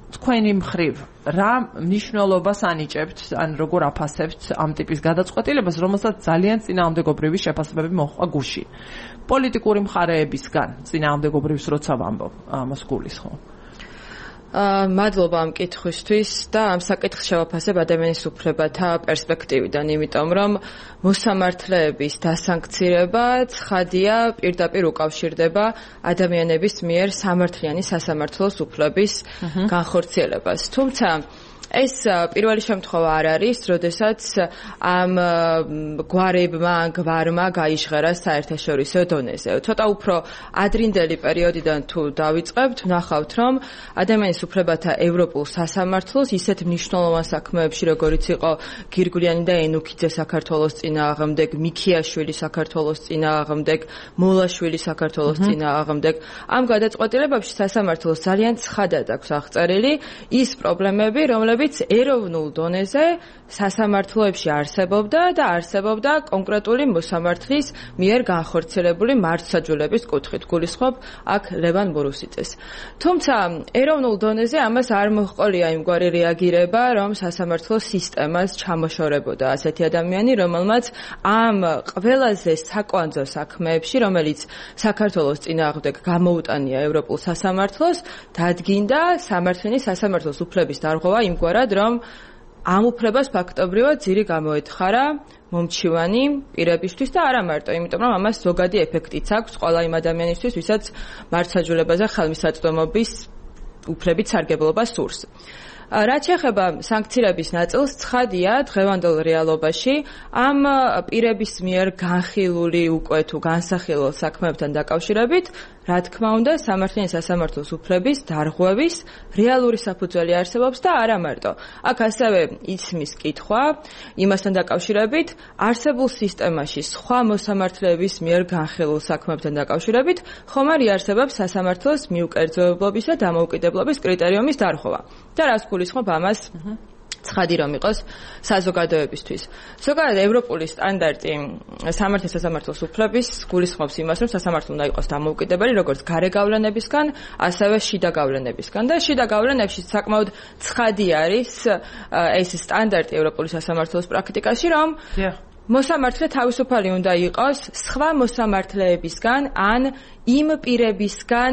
A: თქვენი მხრივ რა მნიშვნელობას ანიჭებთ, ან როგორ აფასებთ ამ ტიპის გადაწყვეტილებას, რომელსაც ძალიან წინააღმდეგობრივი შეფასებები მოჰყვა გუშინ. პოლიტიკური მხარეებისგან წინააღმდეგობრივს როცა ვამბობ, ამას გულისხმობ.
C: მადლობა ამ კითხვისთვის და ამ საკითხს შევაფასებ ადამიანის უფლებათა პერსპექტივიდან, იმიტომ რომ მოსამართლეების დასანქცირება ცხადია პირდაპირ უკავშირდება ადამიანების მიერ სამართლიანი სასამართლოს უფლების განხორციელებას. თუმცა ეს პირველი შემთხვევა არ არის, როდესაც ამ გვარებმა, გვარმა გაიჟღერა საერთაშორისო დონეზე. ცოტა უფრო ადრინდელი პერიოდიდან თუ დავიწყებთ, ვნახავთ, რომ ადამიანის უფლებათა ევროპულ სასამართლოს ისეთ მნიშვნელოვან საქმეებში, როგორიც იყო გირგვლიანი და ენუქიძე საქართველოს წინააღმდეგ, მიქიაშვილი საქართველოს წინააღმდეგ, მოლაშვილი საქართველოს წინააღმდეგ, ამ გადაწყვეტილებებში სასამართლოს ძალიან ცხადად აქვს აღწერილი ის პრობლემები, რომლებიც ეროვნულ დონეზე სასამართლოებში არსებობდა და არსებობდა კონკრეტული მოსამართლის მიერ განხორციელებული მართლმსაჯულების კუთხით. გულისხმობ აქ ლევან ბურუსიძეს. თუმცა ეროვნულ დონეზე ამას არ მოჰყოლია იმგვარი რეაგირება, რომ სასამართლო სისტემას ჩამოშორებოდა ასეთი ადამიანი, რომელმაც ამ ყველაზე საკვანძო საქმეებში, რომელიც საქართველოს წინააღმდეგ გამოუტანია ევროპულ სასამართლოს, დადგინდა სამართლიანი სასამართლოს უფლების დარღვევა იმგვარად, რომ ამ უფლებას ფაქტობრივად ძირი გამოეთხარა მომჩივანი პირებისთვის და არა მარტო, იმიტომ რომ ამას ზოგადი ეფექტიც აქვს ყველა იმ ადამიანისთვის, ვისაც მართლმსაჯულებაზე ხელმისაწვდომობის უფლებით სარგებლობა სურს. რაც შეეხება სანქციების ნაწილს, ცხადია დღევანდელ რეალობაში ამ პირების მიერ განხილული უკვე თუ განსახილულ საქმეებთან დაკავშირებით, რა თქმა უნდა, სამართლიანი სასამართლოს უფლების დარღვევის რეალური საფუძველი არსებობს და არა მარტო. აქ ასევე ისმის კითხვა იმასთან დაკავშირებით, არსებულ სისტემაში სხვა მოსამართლეების მიერ განხილულ საქმეებთან დაკავშირებით, ხომ არ იარსებებს სასამართლოს მიუკერძოებლობის და დამოუკიდებლობის კრიტერიუმის დარღვევა. და რას გულისხმობ ამას? ცხადი რომ იყოს საზოგადოებისთვის. ზოგადად ევროპული სტანდარტი სამართლის სასამართლოს უფლების გულისხმობს იმას, რომ სასამართლო უნდა იყოს დამოუკიდებელი, როგორც გარე გავლენებისგან, ასევე შიდა გავლენებისგან და შიდა გავლენებში საკმაოდ ცხადი არის ეს სტანდარტი ევროპული სასამართლოს პრაქტიკაში, რომ მოსამართლე თავისუფალი უნდა იყოს სხვა მოსამართლეებისგან ან იმ პირებისგან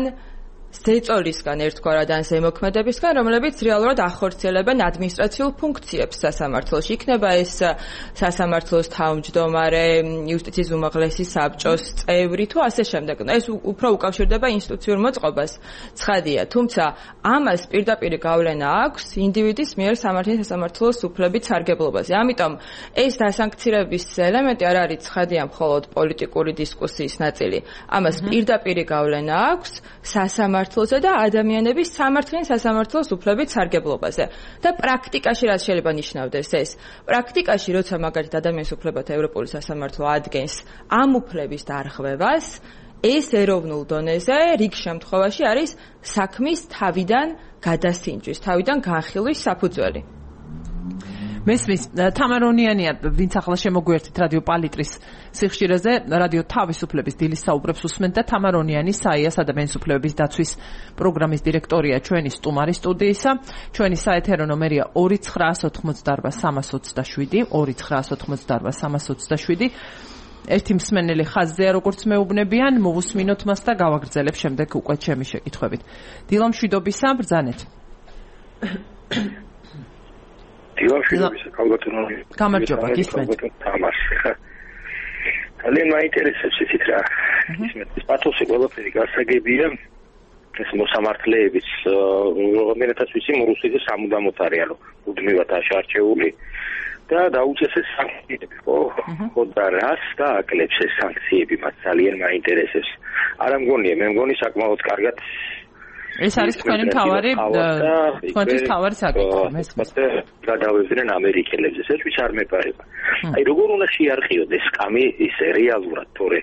C: ზეწოლისგან ერთგვარად ან ზემოქმედებისგან, რომლებიც რეალურად ახორციელებენ ადმინისტრაციულ ფუნქციებს სასამართლოში. იქნება ეს სასამართლოს თავმჯდომარე, იუსტიციის უმაღლესი საბჭოს წევრი თუ ასე შემდეგ. ეს უფრო უკავშირდება ინსტიტუციურ მოწყობას, ცხადია. თუმცა ამას პირდაპირ გავლენა აქვს ინდივიდის მიერ სამართლის სასამართლოს უფლებით სარგებლობაზე. ამიტომ ეს დასანქცირების ელემენტი არ არის ცხადია მხოლოდ პოლიტიკური დისკუსიის ნაწილი. ამას პირდაპირ გავლენა აქვს სასამართლოს და ადამიანების სამართლიან სასამართლოს უფლებით სარგებლობაზე. და პრაქტიკაში რაც შეიძლება ნიშნავდეს ეს? პრაქტიკაში, როცა მაგალითად ადამიანის უფლებათა ევროპული სასამართლო ადგენს ამ უფლების დარღვევას, ეს ეროვნულ დონეზე რიგ შემთხვევაში არის საქმის თავიდან გადასინჯვის, თავიდან განხილვის საფუძველი.
A: მესმის თამარონიანია, ვინც ახლა შემოგვიერთით რადიო პალიტრის სიხშირეზე, რადიო თავისუფლების დილის საუბრებს უსმენთ და თამარონიანი საიას ადამიანის უფლებების დაცვის პროგრამის დირექტორია ჩვენი სტუმარი სტუდიისა. ჩვენი საეთერო ნომერია ორი ცხრაას ოთხმოცდაარბა სამას ოცდაშვიდი, ორი ცხრაას ოთხმოცდაარბა სამას ოცდაშვიდი. ერთი მსმენელი ხაზზეა, როგორც მეუბნებიან, მოვუსმინოთ მას და გავაგრძელებ შემდეგ უკვე ჩემი შეკითხვებით. დილა მშვიდობისა, ბრძანეთ.
D: დილამშვიდობისა, კალბატონი.
A: გამარჯობა, გისმენთ.
D: ძალიან მაინტერესებს ისიც რა. ისმენთ პათოსი ყველაფერი გასაგებია. ეს მოსამართლეების რომელთაც ვიცი, რუსეთში სამუდამოდ არიან, უდმივად აღარჩეული და დაუწესეს სანქციები, ხო? ხო და რას დააკლებს ეს სანქციები, მას ძალიან მაინტერესებს. არა მგონია, მე მგონი საკმაოდ კარგად
A: ეს არის თქვენი მთავარი თქვენთვის მთავარი საკითხი მესმის
D: გადავეძრენ ამერიკელებს ეს ვიც არ მეპარება აი როგორ უნდა შეარყიოთ ეს კამი ის რეალურად თორე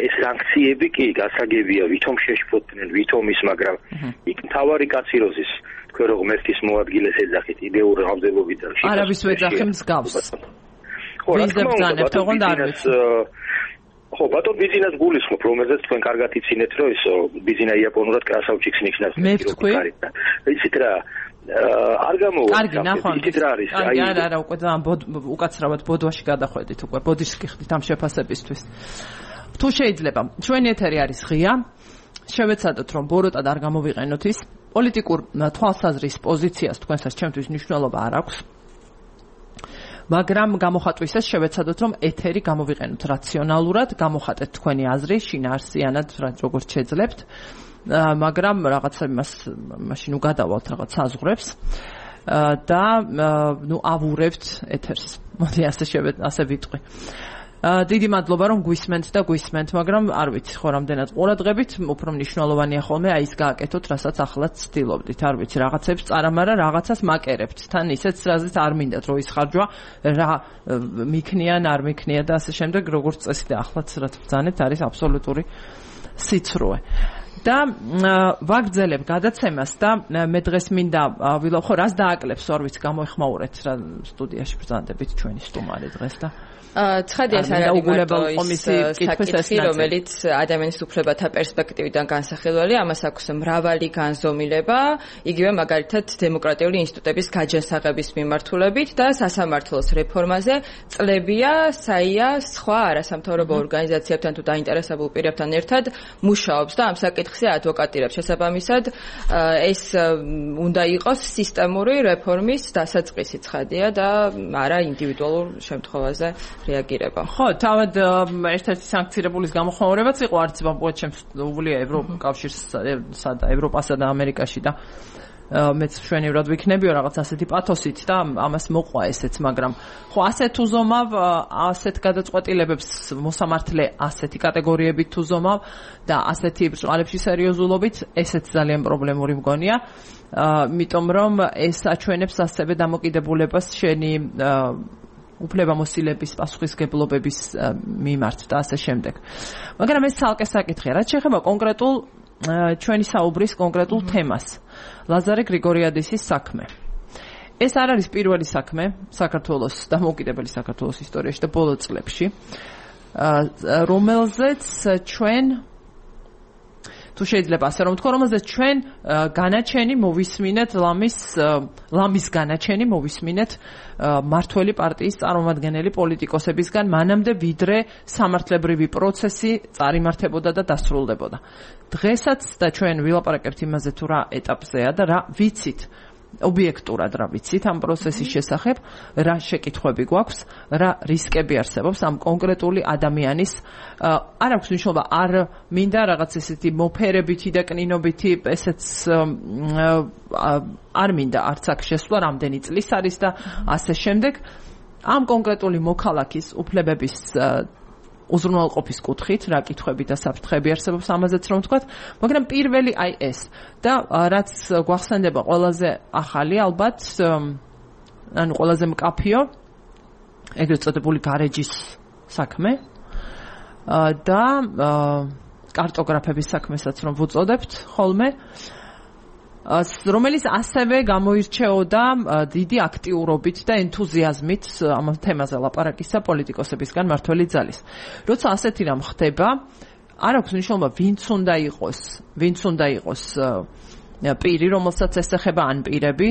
D: ეს სანქციები კი გასაგებია ვითომ შეშფოთდნენ ვითომ ის მაგრამ იქ მთავარი კაციროზის თქვენ რო ღმერთის მოადგილეს ეძახით იდეურ ramdelovიდან
A: არავის ვეძახე მსგავს
D: ხო რა თქმა უნდა
A: თქონდა არ ვიცი
D: ხო, ბატონ ბიზნეს გულისხმობ, რომელზეც თქვენ კარგად იცინეთ, რომ ეს ბიზნესა იაპონურად კრასავჩიკს ნიშნავს.
A: მე ვთქვი.
D: იცით რა, არ გამოვა.
A: კარგი, ნახავთ.
D: იცით რა არის?
A: აი, არა, არა, უკვე უკაცრავად ბოდვაში გადახვედით უკვე, ბოდიშს გიხდით ამ შეფასებისთვის. თუ შეიძლება, ჩვენი ეთერი არის ღია. შევეცადოთ, რომ ბოროტად არ გამოვიყენოთ ის პოლიტიკურ თვალსაზრის პოზიციას თქვენსაც ჩემთვის მნიშვნელობა არ აქვს. მაგრამ გამოხატვისას შევეცადოთ, რომ ეთერი გამოვიყენოთ რაციონალურად, გამოხატეთ თქვენი აზრი, შინაარსიანად, როგორც შეძლებთ, მაგრამ რაღაცა იმას მაშინ უგადავალთ რაღაც საზღვრებს. და ნუ ავურებთ ეთერს. მოდი ასე შევედ ასე ვიტყვი. დიდი მადლობა რომ გვისმენთ და გვისმენთ, მაგრამ არ ვიცი ხო რამდენად ყურადღებით, უფრო მნიშვნელოვანია ხოლმე აი ის გააკეთოთ, რასაც ახლაც ცდილობდით, არ ვიცი, რაღაცებს წარამარა, რაღაცას მაკერებთ, თან ისეც რაზეც არ მინდათ რომ ისხარჯვა, რა მიქნიან, არ მიქნია და ასე შემდეგ, როგორც წესი და ახლაც რა ბრძანეთ, არის აბსოლუტური სიცრუე. და ვაგრძელებ გადაცემას და მე დღეს მინდა ვილო ხო რას დააკლებს, არ ვიცი, გამოიხმაურეთ რა სტუდიაში ბრძანდებით ჩვენი სტუმარი დღეს და
C: ცხადია ეს არ არის საკითხი, რომელიც ადამიანის უფლებათა პერსპექტივიდან განსახილველი, ამას აქვს მრავალი განზომილება, იგივე მაგალითად დემოკრატიული ინსტიტუტების გაჯანსაღების მიმართულებით და სასამართლოს რეფორმაზე წლებია საია სხვა არასამთავრობო ორგანიზაციებთან თუ დაინტერესებულ პირებთან ერთად მუშაობს და ამ საკითხზე ადვოკატირებს. შესაბამისად, ეს უნდა იყოს სისტემური რეფორმის დასაწყისი ცხადია და არა ინდივიდუალურ შემთხვევაზე რეაგირება.
A: ხო, თავად ერთ-ერთი სანქცირებულის გამოხმაურებაც იყო არც ბამპუაჩემს უვლია ევროკავშირსა და ევროპასა და ამერიკაში და მეც მშვენივრად ვიქნებიო რაღაც ასეთი პათოსით და ამას მოყვა ესეც, მაგრამ ხო ასეთ უზომავ, ასეთ გადაწყვეტილებებს მოსამართლე ასეთი კატეგორიებით უზომავ და ასეთი ბრწყალებში სერიოზულობით ესეც ძალიან პრობლემური მგონია, იმიტომ რომ ეს აჩვენებს ასევე დამოკიდებულებას შენი უფლებამოსილების პასუხისგებლობების მიმართ და ასე შემდეგ. მაგრამ ეს ცალკე საკითხია, რაც შეეხება კონკრეტულ ჩვენი საუბრის კონკრეტულ თემას. ლაზარე გრიგორიადისის საქმე. ეს არ არის პირველი საქმე საქართველოს დამოუკიდებელი საქართველოს ისტორიაში და ბოლო წლებში, რომელზეც ჩვენ თუ შეიძლება ასე რომ ვთქვა, რომელზეც ჩვენ განაჩენი მოვისმინეთ ლამის ლამის განაჩენი მოვისმინეთ მართველი პარტიის წარმომადგენელი პოლიტიკოსებისგან, მანამდე ვიდრე სამართლებრივი პროცესი წარიმართებოდა და დასრულდებოდა. დღესაც და ჩვენ ვილაპარაკებთ იმაზე თუ რა ეტაპზეა და რა ვიცით ობიექტურად რა ვიცით ამ პროცესის შესახებ, რა შეკითხვები გვაქვს, რა რისკები არსებობს ამ კონკრეტული ადამიანის, არ აქვს მნიშვნელობა, არ მინდა რაღაც ესეთი მოფერებითი და კნინობითი ესეც არ მინდა არც აქ შესვლა, რამდენი წლის არის და ასე შემდეგ. ამ კონკრეტული მოქალაქის უფლებების უზრუნველყოფის კუთხით რა კითხვები და საფრთხეები არსებობს ამაზეც რომ ვთქვათ, მაგრამ პირველი აი ეს და რაც გვახსენდება ყველაზე ახალი ალბათ, ანუ ყველაზე მკაფიო, ეგრეთ წოდებული გარეჯის საქმე და კარტოგრაფების საქმესაც რომ ვუწოდებთ ხოლმე, რომელიც ასევე გამოირჩეოდა დიდი აქტიურობით და ენთუზიაზმით ამ თემაზე ლაპარაკისა პოლიტიკოსებისგან მართველი ძალის. როცა ასეთი რამ ხდება, არ აქვს მნიშვნელობა ვინც უნდა იყოს, ვინც უნდა იყოს პირი, რომელსაც ესეხება ან პირები,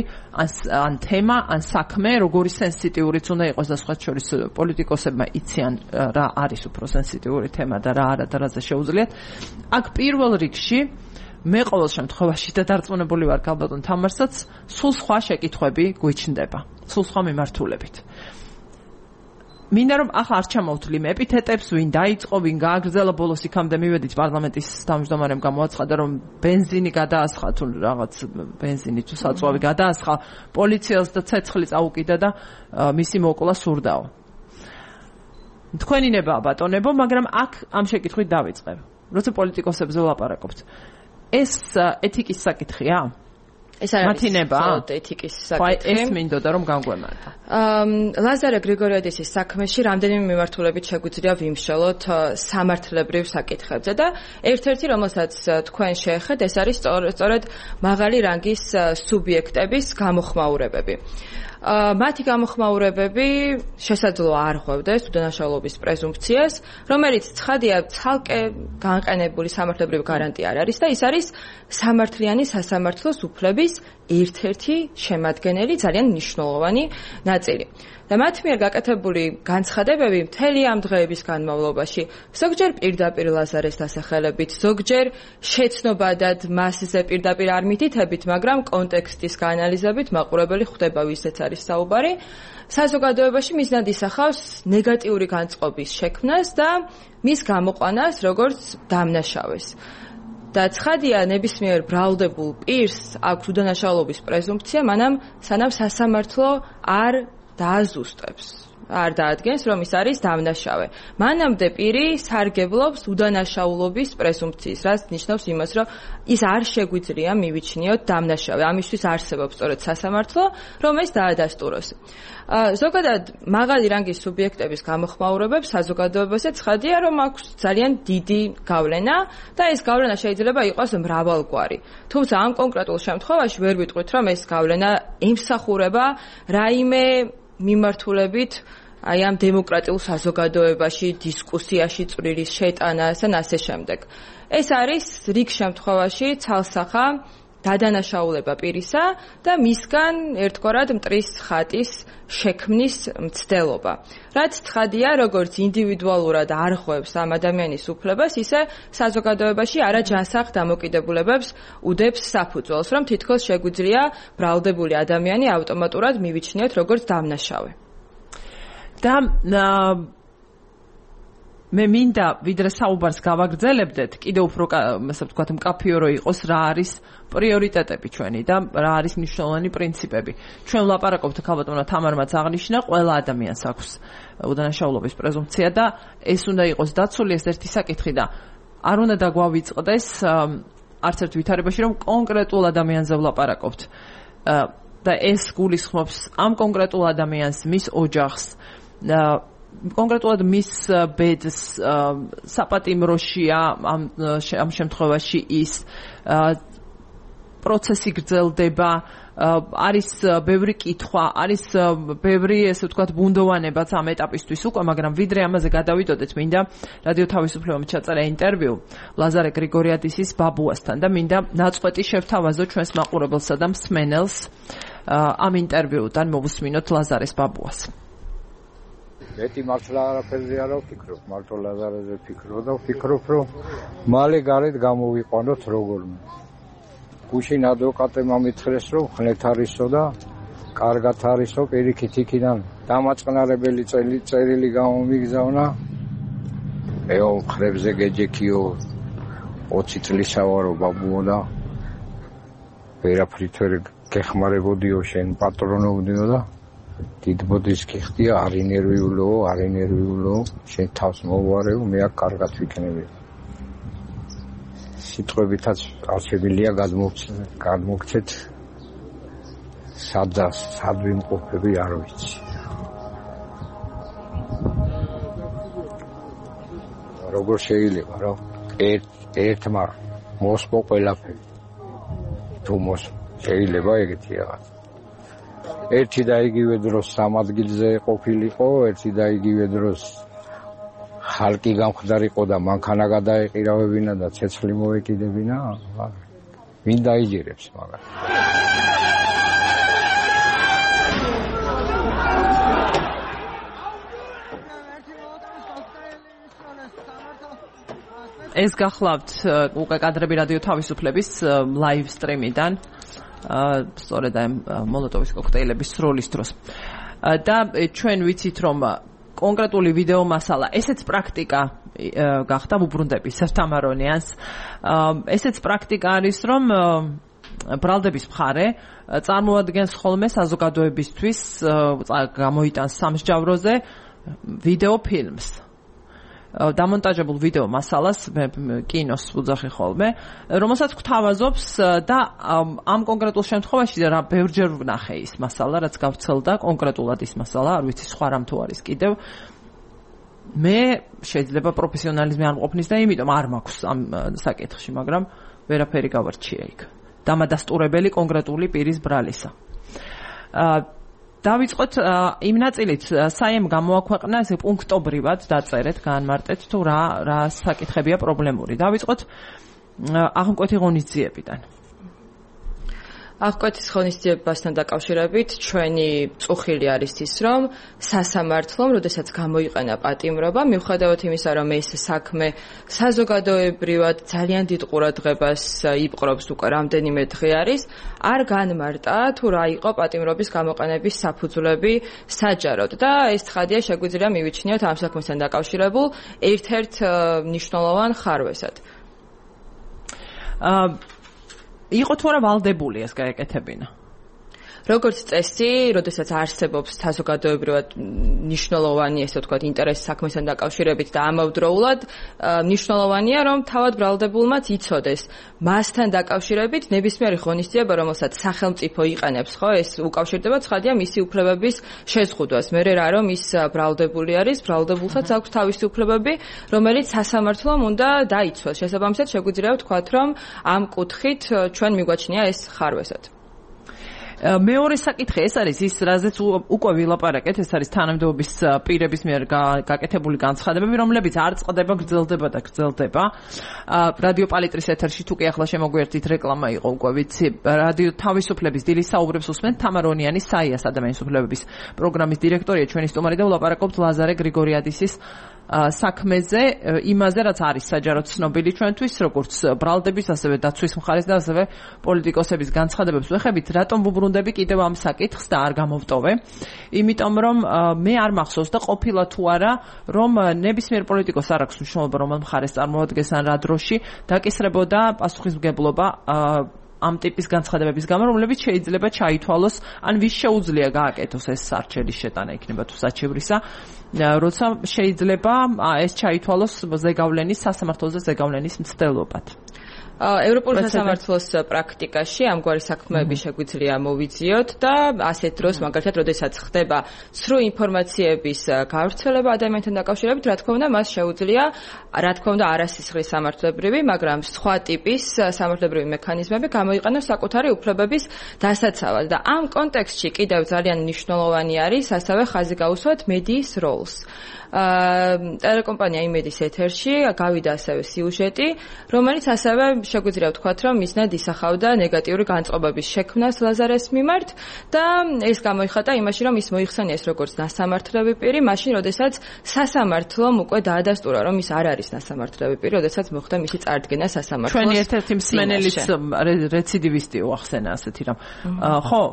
A: ან თემა, ან საქმე, როგორი სენსიტიურიც უნდა იყოს და სხვა შორის პოლიტიკოსებმა იციან რა არის უფრო სენსიტიური თემა და რა არა და რაზე შეუძლიათ. აქ პირველ რიგში მე ყოველ შემთხვევაში და დარწმუნებული ვარ ქალბატონ თამარსაც, სულ სხვა შეკითხვები გვიჩნდება, სულ სხვა მიმართულებით. მინდა რომ ახლა არ ჩამოვთვლი მე ეპითეტებს, ვინ დაიწყო, ვინ გააგრძელა, ბოლოს იქამდე მივედით პარლამენტის თავმჯდომარემ გამოაცხადა, რომ ბენზინი გადაასხა თუ რაღაც ბენზინი თუ საწვავი გადაასხა, პოლიციელს და ცეცხლი წაუკიდა და მისი მოკლა სურდაო. თქვენი ნება ბატონებო, მაგრამ აქ ამ შეკითხვით დავიწყებ. როცა პოლიტიკოსებზე ვლაპარაკობთ, ეს ეთიკის საკითხია?
C: ეს არის მხოლოდ ეთიკის საკითხი.
A: ეს მინდოდა რომ განგვემართა.
C: ლაზარე გრიგორიადისის საქმეში რამდენიმე მიმართულებით შეგვიძლია ვიმსჯელოთ სამართლებრივ საკითხებზე და ერთ-ერთი, რომელსაც თქვენ შეეხეთ, ეს არის სწორედ მაღალი რანგის სუბიექტების გამოხმაურებები. მათი გამოხმაურებები შესაძლოა არ ხვევდეს უდანაშაულობის პრეზუმფციას, რომელიც ცხადია ცალკე განყენებული სამართლებრივი გარანტია არ არის და ის არის სამართლიანი სასამართლოს უფლების ერთ-ერთი შემადგენელი ძალიან მნიშვნელოვანი ნაწილი. და მათ მიერ გაკეთებული განცხადებები მთელი ამ დღეების განმავლობაში ზოგჯერ პირდაპირ ლაზარეს დასახელებით, ზოგჯერ შეცნობადად მასზე პირდაპირ არ მითითებით, მაგრამ კონტექსტის გაანალიზებით მაყურებელი ხვდება ვისაც არის საუბარი, საზოგადოებაში მიზნად ისახავს ნეგატიური განწყობის შექმნას და მის გამოყვანას როგორც დამნაშავეს. და ცხადია ნებისმიერ ბრალდებულ პირს აქვს უდანაშაულობის პრეზუმპცია, მანამ სანამ სასამართლო არ დააზუსტებს. არ დაადგენს, რომ ის არის დამნაშავე. მანამდე პირი სარგებლობს უდანაშაულობის პრეზუმპციის, რაც ნიშნავს იმას, რომ ის არ შეგვიძლია მივიჩნიოთ დამნაშავე. ამისთვის არსებობს სწორედ სასამართლო, რომ ეს დაადასტუროს. ზოგადად მაღალი რანგის სუბიექტების გამოხმაურებებს საზოგადოებაზე ცხადია, რომ აქვს ძალიან დიდი გავლენა და ეს გავლენა შეიძლება იყოს მრავალგვარი. თუმცა ამ კონკრეტულ შემთხვევაში ვერ ვიტყვით, რომ ეს გავლენა ემსახურება რაიმე მიმართულებით აი ამ დემოკრატიულ საზოგადოებაში, დისკუსიაში წვლილის შეტანას და ასე შემდეგ. ეს არის რიგ შემთხვევაში ცალსახა დადანაშაულება პირისა და მისგან ერთგვარად მტრის ხატის შექმნის მცდელობა. რაც ცხადია, როგორც ინდივიდუალურად არღვევს ამ ადამიანის უფლებას, ისე საზოგადოებაში არაჯანსაღ დამოკიდებულებებს უდებს საფუძველს, რომ თითქოს შეგვიძლია ბრალდებული ადამიანი ავტომატურად მივიჩნიოთ როგორც დამნაშავე.
A: და მე მინდა ვიდრე საუბარს გავაგრძელებდეთ, კიდევ უფრო ასე ვთქვათ, მკაფიო რო იყოს რა არის პრიორიტეტები ჩვენი და რა არის მნიშვნელოვანი პრინციპები. ჩვენ ვლაპარაკობთ ქალბატონმა თამარმაც აღნიშნა, ყველა ადამიანს აქვს უდანაშაულობის პრეზუმპცია და ეს უნდა იყოს დაცული, ეს ერთი საკითხი და არ უნდა დაგვავიწყდეს არც ერთ ვითარებაში, რომ კონკრეტულ ადამიანზე ვლაპარაკობთ. და ეს გულისხმობს ამ კონკრეტულ ადამიანს, მის ოჯახს, კონკრეტულად მის ბედს, საპატიმროშია ამ ამ შემთხვევაში ის პროცესი გრძელდება, არის ბევრი კითხვა, არის ბევრი, ესე ვთქვათ, ბუნდოვანებაც ამ ეტაპისთვის უკვე, მაგრამ ვიდრე ამაზე გადავიდოდეთ, მინდა რადიო თავისუფლებამ ჩაწერა ინტერვიუ ლაზარე გრიგორიადისის ბაბუასთან და მინდა ნაწყვეტი შევთავაზო ჩვენს მაყურებელსა და მსმენელს ამ ინტერვიუდან მოვუსმინოთ ლაზარეს ბაბუას.
E: მეტი მართლა არაფერზე არ ვფიქრობ, მარტო ლაზარეზე ვფიქრობ და ვფიქრობ, რომ მალე გარეთ გამოვიყვანოთ როგორმე. გუშინ ადვოკატემ ამითხრეს, რომ ხნეთ არისო და კარგად არისო, პირიქით იქიდან დამაწყნარებელი წერილი გამომიგზავნა. ეო მხრებზე გეჯექიო ოცი წლისა ვარო ბაბუო და ვერაფრით ვერ გეხმარებოდიო, შენ პატრონობდიო და დიდბოდის გიხდია, არ ინერვიულო, არ ინერვიულო, შენ თავს მოვარევ, მე აქ კარგად ვიქნები. სიტყვებითაც არ შემიძლია გადმოგცეთ სადა სად ვიმყოფები არ ვიცი. როგორ შეიძლება, რომ ერთ ერთმა მოსპო ყველაფერი. თუ მოს შეიძლება ეგეთი რაღაც. ერთი და იგივე დროს სამ ადგილზე ყოფილიყო, ერთი და იგივე დროს ხალკი გამხდარიყო და მანქანა გადაეყირავებინა და ცეცხლი მოეკიდებინა. ვინ დაიჯერებს მაგას?
A: ეს გახლავთ უკვე კადრები რადიო თავისუფლების ლაივ სტრიმიდან. სწორედ ამ მოლოტოვის კოქტეილების სროლის დროს. და ჩვენ ვიცით, რომ კონკრეტული ვიდეო მასალა, ესეც პრაქტიკა გახდა ვუბრუნდები სევთამარონიანს. ესეც პრაქტიკა არის, რომ ბრალდების მხარე წარმოადგენს ხოლმე საზოგადოებისთვის გამოიტანს სამსჯავროზე ვიდეო ფილმს. დამონტაჟებულ ვიდეო მასალას კინოს უძახი ხოლმე, რომელსაც გვთავაზობს და ამ კონკრეტულ შემთხვევაში რა ბევრჯერ ვნახე ის მასალა, რაც გავცელდა კონკრეტულად ის მასალა, არ ვიცი სხვა რამ თუ არის კიდევ. მე შეიძლება პროფესიონალიზმი არ მყოფნის და იმიტომ არ მაქვს ამ საკითხში, მაგრამ ვერაფერი გავარჩია იქ. დამადასტურებელი კონკრეტული პირის ბრალისა. დავიწყოთ იმ ნაწილით, საიმ გამოაქვეყნა ესე პუნქტობრივად დაწერეთ, გაანმარტეთ თუ რა რა საკითხებია პრობლემური. დავიწყოთ აღკვეთი ღონისძიებიდან.
C: აღკვეთის ღონისძიებასთან დაკავშირებით ჩვენი წუხილი არის ის, რომ სასამართლომ, როდესაც გამოიყენა პატიმრობა, მიუხედავად იმისა, რომ ეს საქმე საზოგადოებრივად ძალიან დიდ ყურადღებას იპყრობს უკვე რამდენიმე დღე არის, არ განმარტა თუ რა იყო პატიმრობის გამოყენების საფუძვლები საჯაროდ და ეს ცხადია შეგვიძლია მივიჩნიოთ ამ საქმესთან დაკავშირებულ ერთ-ერთ მნიშვნელოვან ხარვესად.
A: იყო თუ არა ვალდებული ეს გაეკეთებინა?
C: როგორც წესი, როდესაც არსებობს საზოგადოებრივად მნიშვნელოვანი, ესე ვთქვათ, ინტერესი საქმესთან დაკავშირებით და ამავდროულად მნიშვნელოვანია, რომ თავად ბრალდებულმაც იცოდეს მასთან დაკავშირებით ნებისმიერი ღონისძიება, რომელსაც სახელმწიფო იყენებს, ხო, ეს უკავშირდება ცხადია მისი უფლებების შეზღუდვას. მე რა რომ ის ბრალდებული არის, ბრალდებულსაც აქვს თავისი უფლებები, რომელიც სასამართლომ უნდა დაიცვას. შესაბამისად, შეგვიძლია ვთქვათ, რომ ამ კუთხით ჩვენ მიგვაჩნია ეს ხარვესად.
A: მეორე საკითხი ეს არის ის, რაზეც უკვე ვილაპარაკეთ, ეს არის თანამდებობის პირების მიერ გაკეთებული განცხადებები, რომლებიც არ წყდება, გრძელდება და გრძელდება. რადიო პალიტრის ეთერში თუ კი ახლა შემოგვიერთით რეკლამა იყო უკვე ვიცი, რადიო თავისუფლების დილის საუბრებს უსმენთ თამარ ონიანი, საიას ადამიანის უფლებების პროგრამის დირექტორია ჩვენი სტუმარი და ვლაპარაკობთ ლაზარე გრიგორიადისის საქმეზე, იმაზე, რაც არის საჯაროდ ცნობილი ჩვენთვის, როგორც ბრალდების, ასევე დაცვის მხარეს და ასევე პოლიტიკოსების განცხადებებს ვეხებით, რატომ ვუბრუნდები კიდევ ამ საკითხს და არ გამოვტოვე. იმიტომ რომ მე არ მახსოვს და ყოფილა თუ არა, რომ ნებისმიერ პოლიტიკოს არ აქვს მნიშვნელობა, რომელ მხარეს წარმოადგენს ან რა დროში დაკისრებოდა პასუხისმგებლობა ამ ტიპის განცხადებების გამო, რომლებიც შეიძლება ჩაითვალოს, ან ვის შეუძლია გააკეთოს ეს სარჩელის შეტანა იქნება თუ საჩევრისა, როცა შეიძლება ეს ჩაითვალოს ზეგავლენის სასამართლოზე ზეგავლენის მცდელობად.
C: ევროპულ სასამართლოს პრაქტიკაში ამგვარი საქმეები შეგვიძლია მოვიძიოთ და ასეთ დროს მაგალითად, როდესაც ხდება ცრუ ინფორმაციების გავრცელება ადამიანთან დაკავშირებით, რა თქმა უნდა, მას შეუძლია, რა თქმა უნდა, არასისხლის სამართლებრივი, მაგრამ სხვა ტიპის სამართლებრივი მექანიზმები გამოიყენოს საკუთარი უფლებების დასაცავად და ამ კონტექსტში კიდევ ძალიან მნიშვნელოვანი არის ასევე ხაზი გაუსვათ მედიის როლს. ტელეკომპანია იმედის ეთერში გავიდა ასევე სიუჟეტი, რომელიც ასევე შეგვიძლია ვთქვათ, რომ მიზნად ისახავდა ნეგატიური განწყობების შექმნას ლაზარეს მიმართ და ეს გამოიხატა იმაში, რომ ის მოიხსენიეს როგორც ნასამართლები პირი, მაშინ, როდესაც სასამართლომ უკვე დაადასტურა, რომ ის არ არის ნასამართლები პირი, როდესაც მოხდა მისი წარდგენა სასამართლოს.
A: ჩვენი ერთ-ერთი მსმენელის რეციდივისტი უახსენა ასეთი რამ. ხო,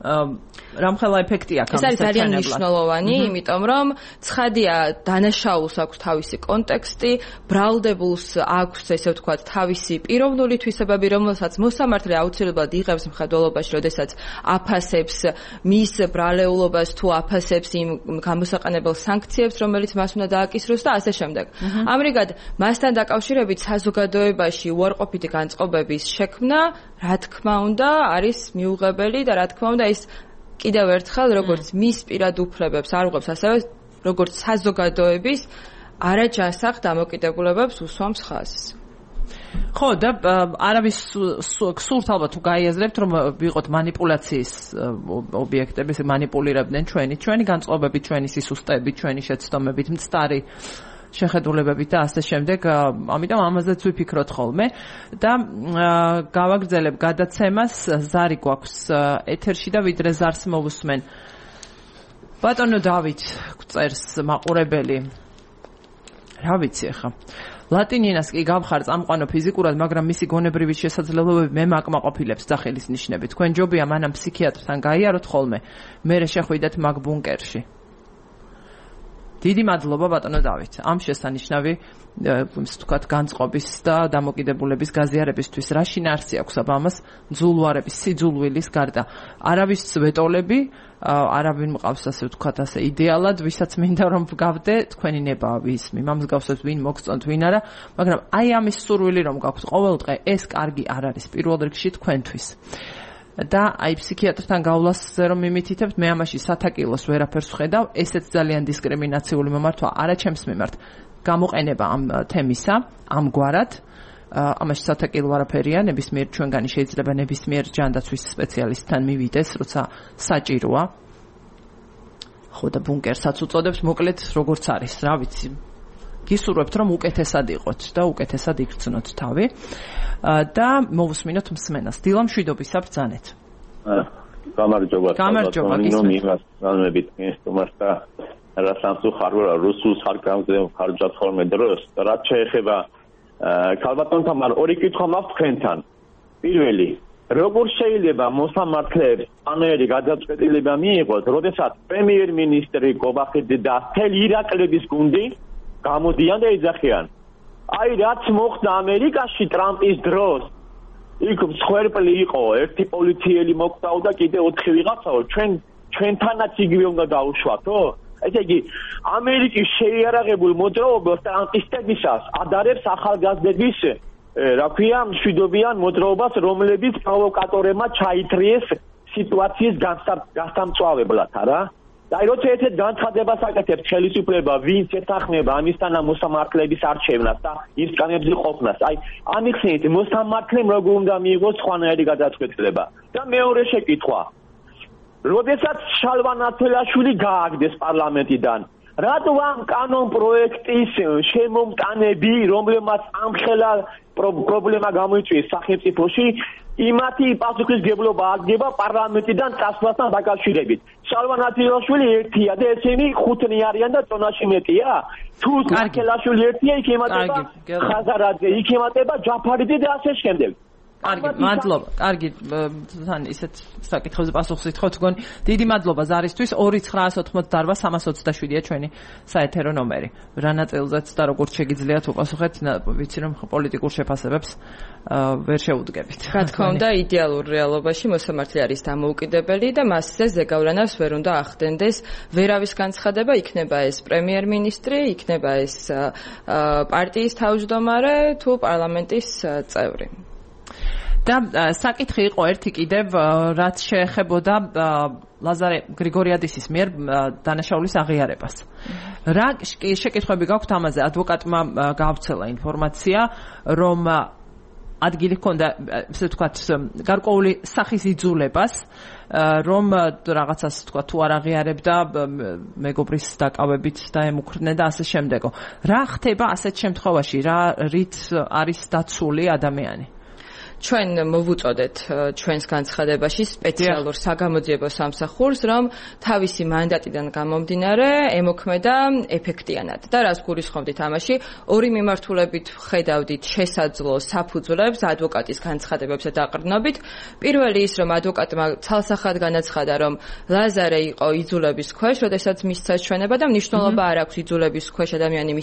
A: რამხელა ეფექტი აქვს.
C: ეს არის ძალიან მნიშვნელოვანი, იმიტომ რომ ცხადია დანაშაულს აქვს თავისი კონტექსტი, ბრალდებულს აქვს, ესე ვთქვათ, თავისი პიროვნული თვისებები, რომელსაც მოსამართლე აუცილებლად იღებს მხედველობაში, როდესაც აფასებს მის ბრალეულობას თუ აფასებს იმ გამოსაყენებელ სანქციებს, რომელიც მას უნდა დააკისროს და ასე შემდეგ. ამრიგად, მასთან დაკავშირებით საზოგადოებაში უარყოფითი განწყობების შექმნა, რა თქმა უნდა, არის მიუღებელი და რა თქმა უნდა, ის კიდევ ერთხელ როგორც მის პირად უფლებებს არ უღებს, ასევე როგორც საზოგადოების არაჯანსაღ დამოკიდებულებებს უსვამს ხაზს.
A: ხო, და არავის გსურთ ალბათ თუ გაიაზრებთ, რომ ვიყოთ манипуляციის ობიექტები, ესე манипуლირებდნენ ჩვენი, ჩვენი განწყობები, ჩვენი სისუსტეები, ჩვენი შეცდომებით, მცდარი შეხედულებებით და ასე შემდეგ, ამიტომ ამაზეც ვიფიქროთ ხოლმე და გავაგრძელებ გადაცემას, ზარი გვაქვს ეთერში და ვიდრე ზარს მოვუსმენ. ბატონო დავით წერს მაყურებელი. რა ვიცი ახლა. ლატინინას კი გავხარ წამყვანო ფიზიკურად, მაგრამ მისი გონებრივი შესაძლებლობები მე მაკმაყოფილებს სახელის ნიშნები. თქვენ ჯობია მანამ ფსიქიატრთან გაიაროთ ხოლმე, მერე შეხვიდეთ მაგ ბუნკერში. დიდი მადლობა ბატონო დავით. ამ შესანიშნავი ვთქვათ განწყობის და დამოკიდებულების გაზიარებისთვის რა შინაარსი აქვს აბამას ძულვარების სიძულვილის გარდა. არავის ვეტოლები, არავინ მყავს ასე ვთქვათ ასე იდეალად, ვისაც მინდა რომ გავდე, თქვენი ნება ვის მიმამსგავსებს ვინ მოგწონთ, ვინ არა, მაგრამ აი ამის სურვილი რომ გაქვთ ყოველდღე, ეს კარგი არ არის პირველ რიგში თქვენთვის. და აი ფსიქიატრთან გავლასზე რომ მიმითითებთ, მე ამაში სათაკილოს ვერაფერს ვხედავ, ესეც ძალიან დისკრიმინაციული მომართვა არა ჩემს მიმართ. გამოყენება ამ თემისა, ამგვარად, ამაში სათაკილო არაფერია, ნებისმიერ ჩვენგანი შეიძლება ნებისმიერ ჯანდაცვის სპეციალისტთან მივიდეს, როცა საჭიროა. ხო და ბუნკერსაც უწოდებს, მოკლედ როგორც არის, რა ვიცი. გისურვებთ რომ უკეთესად იყოთ და უკეთესად იგრძნოთ თავი და მოვუსმინოთ მსმენას. დილა მშვიდობისა ბრძანეთ.
F: გამარჯობა.
A: გამარჯობა.
F: იმას განმებით ინსტრუმენტს და რა სამსუხარო რუსულ სარკამზე ხარჯად ხოლმე დროს და რაც შეეხება ქალბატონთან ორი კითხვა მაქვს თქვენთან. პირველი, როგორ შეიძლება მოსამართლეებს ანერი გადაწყვეტილება მიიღოს, როდესაც პრემიერ-მინისტრი გობახიძე და მთელი ირაკლების გუნდი გამოდიან და ეძახიან. აი რაც მოხდა ამერიკაში ტრამპის დროს, იქ მსხვერპლი იყო ერთი პოლიციელი მოკდაოდა კიდე ოთხი ვიღაცაო ჩვენ ჩვენთანაც იგივე უნდა დაუშვათო ესე იგი ამერიკის შეიარაღებულ მოძრაობას ტრამპისტებისას ადარებს ახალგაზრდების რა ქვია მშვიდობიან მოძრაობას რომლებიც პროვოკატორებმა ჩაითრიეს სიტუაციის გასამწვავებლად არა და როცა ერთ განცხადებას აკეთებს ხელისუფლება ვინც ეთანხმება ამისთანა მოსამართლეების არჩევნას და ის კანებზე ყოფნას აი ამიხსენით მოსამართლემ როგორ უნდა მიიღოს სხვანაირი გადაწყვეტილება და მეორე შეკითხვა როდესაც შალვა ნათელაშვილი გააგდეს პარლამენტიდან რატო ამ კანონ პროექტის შემომტანები რომლებმაც ამხელა პრობლემა გამოიწვიეს სახელმწიფოში იმათი პასუხისმგებლობა აღება პარლამენტიდან წასვლასთან დაკავშირებით. შალვა ნათელაშვილი ერთია და ესენი ხუთნი არიან და წონაში მეტია. თუ ნათელაშვილი ერთია, იქ ემატება ხაზარაძე, იქ ემატება ჯაფარიძე და ასე შემდეგ.
A: კარგი, მადლობა. კარგი, თან ისეთ საკითხებზე პასუხს ითხოვთ თქვენ. დიდი მადლობა ზარისთვის. ორი ცხრაას ოთხმოცდაარბა სამას ოცდაშვიდია ჩვენი საეთერო ნომერი. რა ნაწილზეც და როგორც შეგიძლიათ უპასუხეთ, ვიცი რომ პოლიტიკურ შეფასებებს ვერ შეუდგებით.
C: რა თქმა უნდა, იდეალურ რეალობაში მოსამართლე არის დამოუკიდებელი და მასზე ზეგავლენას ვერ უნდა ახდენდეს ვერავის განცხადება, იქნება ეს პრემიერ-მინისტრი, იქნება ეს პარტიის თავმჯდომარე თუ პარლამენტის წევრი.
A: და საკითხი იყო ერთი კიდევ რაც შეეხებოდა ლაზარე გრიგორიადისის მიერ დანაშაულის აღიარებას. რა შეკითხვები გაქვთ ამაზე? ადვოკატმა გაავრცელა ინფორმაცია, რომ ადგილი ჰქონდა, ესე ვთქვათ, გარკვეული სახის იძულებას, რომ რაღაცას ვთქვათ, თუ არ აღიარებდა მეგობრის დაკავებით და ემუქრდნენ და ასე შემდეგო. რა ხდება ასეთ შემთხვევაში? რა რით არის დაცული ადამიანი?
C: ჩვენ მოვუწოდეთ ჩვენს განცხადებაში სპეციალურ საგამოძიებო სამსახურს, რომ თავისი მანდატიდან გამომდინარე ემოქმედა ეფექტიანად. და რას გულისხმობდით ამაში? ორი მიმართულებით ხედავდით შესაძლო საფუძვლებს ადვოკატის განცხადებებზე დაყრდნობით. პირველი ის, რომ ადვოკატმა ცალსახად განაცხადა, რომ ლაზარე იყო იძულების ქვეშ, როდესაც მისცა ჩვენება და მნიშვნელობა არ აქვს იძულების ქვეშ ადამიანი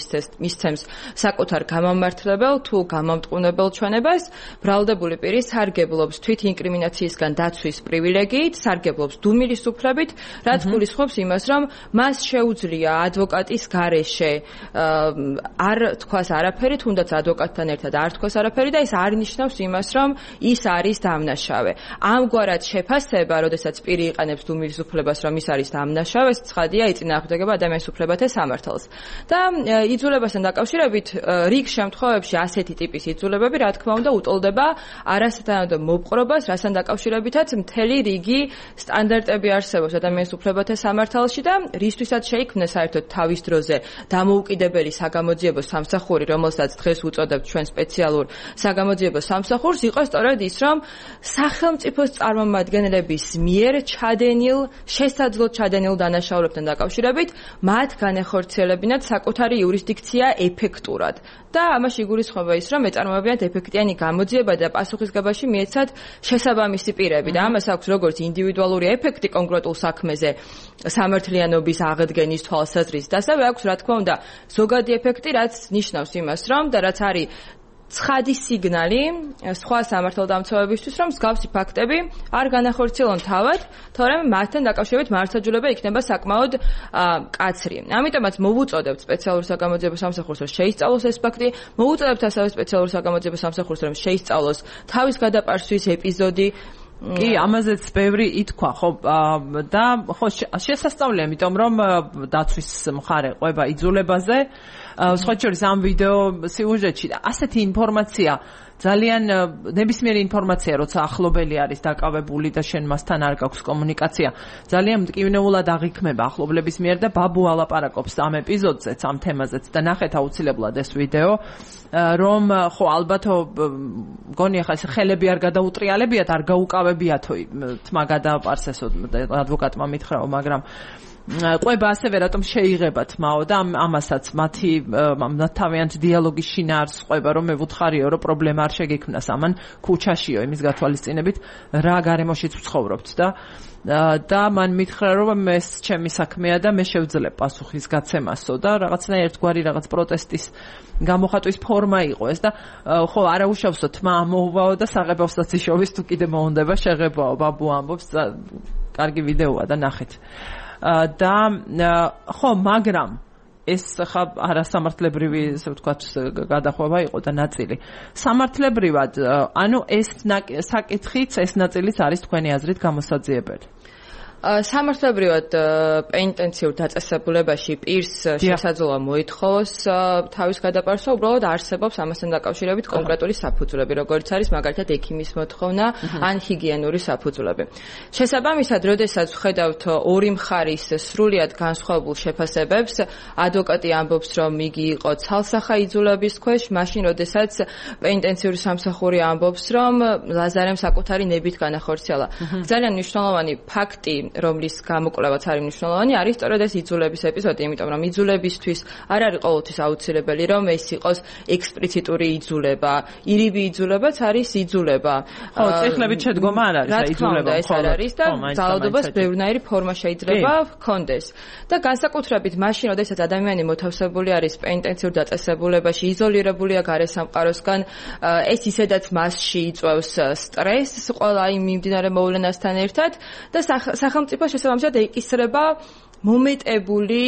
C: მისცემს საკუთარ გამომმართლებელ თუ გამომტყუნებელ ჩვენებას. ბრალდებული პირი სარგებლობს თვით ინკრიმინაციისგან დაცვის პრივილეგიით, სარგებლობს დუმილის უფლებით, რაც გულისხმობს იმას, რომ მას შეუძლია ადვოკატის გარეშე არ თქვას არაფერი, თუნდაც ადვოკატთან ერთად არ თქვას არაფერი და ეს არ ნიშნავს იმას, რომ ის არის დამნაშავე. ამგვარად შეფასება, როდესაც პირი იყენებს დუმილის უფლებას, რომ ის არის დამნაშავე, ცხადია იწინააღმდეგება ადამიანის უფლებათა სამართალს. და იძულებასთან დაკავშირებით რიგ შემთხვევებში ასეთი ტიპის იძულებები, რა თქმა უნდა, უტოლდება არასათანადო მოპყრობას, რასთან დაკავშირებითაც მთელი რიგი სტანდარტები არსებობს ადამიანის უფლებათა სამართალში და რისთვისაც შეიქმნა საერთოდ თავის დროზე დამოუკიდებელი საგამოძიებო სამსახური, რომელსაც დღეს უწოდებთ ჩვენ სპეციალურ საგამოძიებო სამსახურს, იყო სწორედ ის, რომ სახელმწიფოს წარმომადგენლების მიერ ჩადენილ, შესაძლოდ ჩადენილ დანაშაულებთან დაკავშირებით მათ განეხორციელებინათ საკუთარი იურისდიქცია ეფექტურად. და ამაში გულისხმობა ის, რომ ეწარმოებინათ ეფექტიანი გამოძიება და პასუხისგებაში მიეცათ შესაბამისი პირები და ამას აქვს როგორც ინდივიდუალური ეფექტი კონკრეტულ საქმეზე სამართლიანობის აღდგენის თვალსაზრისით, ასევე აქვს რა თქმა უნდა ზოგადი ეფექტი, რაც ნიშნავს იმას, რომ და რაც არის ცხადი სიგნალი სხვა სამართალდამცავებისთვის, რომ მსგავსი ფაქტები არ განახორციელონ თავად, თორემ მათთან დაკავშირებით მართლმსაჯულება იქნება საკმაოდ მკაცრი. ამიტომაც მოვუწოდებთ სპეციალურ საგამოძიებო სამსახურს, რომ შეისწავლოს ეს ფაქტი, მოვუწოდებთ ასევე სპეციალურ საგამოძიებო სამსახურს, რომ შეისწავლოს თავის გადაპარსვის ეპიზოდი.
A: კი, ამაზეც ბევრი ითქვა, ხო, და ხო შესასწავლია, იმიტომ რომ დაცვის მხარე ყვება იძულებაზე, სხვა შორის ამ ვიდეო სიუჟეტში ასეთი ინფორმაცია ძალიან ნებისმიერი ინფორმაცია, როცა ახლობელი არის დაკავებული და შენ მასთან არ გაქვს კომუნიკაცია, ძალიან მტკივნეულად აღიქმება ახლობლების მიერ და ბაბუ ალაპარაკობს ამ ეპიზოდზეც, ამ თემაზეც და ნახეთ აუცილებლად ეს ვიდეო, რომ ხო ალბათო მგონია ხა ეს ხელები არ გადაუტრიალებიათ, არ გაუკავებიათო თმა გადააპარსესო ადვოკატმა მითხრაო, მაგრამ ყვება ასევე რატომ შეიღებათ მაო და ამასაც მათი თავიანთ დიალოგის შინაარსს ყვება რომ მე ვუთხარიო რომ პრობლემა არ შეგექმნას ამან ქუჩაშიო იმის გათვალისწინებით რა გარემოშიც ვცხოვრობთ და და მან მითხრა რომ ეს ჩემი საქმეა და მე შევძლებ პასუხის გაცემასო და რაღაცნაირ ერთგვარი რაღაც პროტესტის გამოხატვის ფორმა იყო ეს და ხო არაუშავსო თმა ამოუვაო და საღებავსაც იშოვის თუ კიდე მოუნდება შეღებაო ბაბუ ამბობს კარგი ვიდეოა და ნახეთ და ხო მაგრამ ეს ხა არასამართლებრივი ასე ვთქვათ გადახვევა იყო და ნაწილი სამართლებრივად ანუ ეს საკითხიც ეს ნაწილიც არის თქვენი აზრით გამოსაძიებელი
C: სამართლებრივად პენიტენციურ დაწესებულებაში პირს შესაძლოა მოითხოვოს თავის გადაპარსვა, უბრალოდ არსებობს ამასთან დაკავშირებით კონკრეტული საფუძვლები, როგორც არის მაგალითად ექიმის მოთხოვნა ან ჰიგიენური საფუძვლები. შესაბამისად, როდესაც ვხედავთ ორი მხარის სრულიად განსხვავებულ შეფასებებს, ადვოკატი ამბობს, რომ იგი იყო ცალსახა იძულების ქვეშ, მაშინ როდესაც პენიტენციური სამსახური ამბობს, რომ ლაზარემ საკუთარი ნებით განახორციელა. ძალიან მნიშვნელოვანი ფაქტი რომლის გამოკვლევაც არის მნიშვნელოვანი, არის სწორედ ეს იძულების ეპიზოდი, იმიტომ რომ იძულებისთვის არ არის ყოველთვის აუცილებელი, რომ ეს იყოს ექსპლიციტური იძულება, ირიბი იძულებაც არის იძულება.
A: ხო, ციკლებით შედგომა არ არის იძულება,
C: ეს არ არის და ძალადობას ბევრნაირი ფორმა შეიძლება ჰქონდეს. და განსაკუთრებით მაშინ, როდესაც ადამიანი მოთავსებული არის პენიტენციურ დაწესებულებაში, იზოლირებულია გარესამყაროსგან, ეს ისედაც მასში იწვევს სტრესს, ყველა იმ მიმდინარე მოვლენასთან ერთად და სახელმწიფო შესაბამისად ეკისრება მომეტებული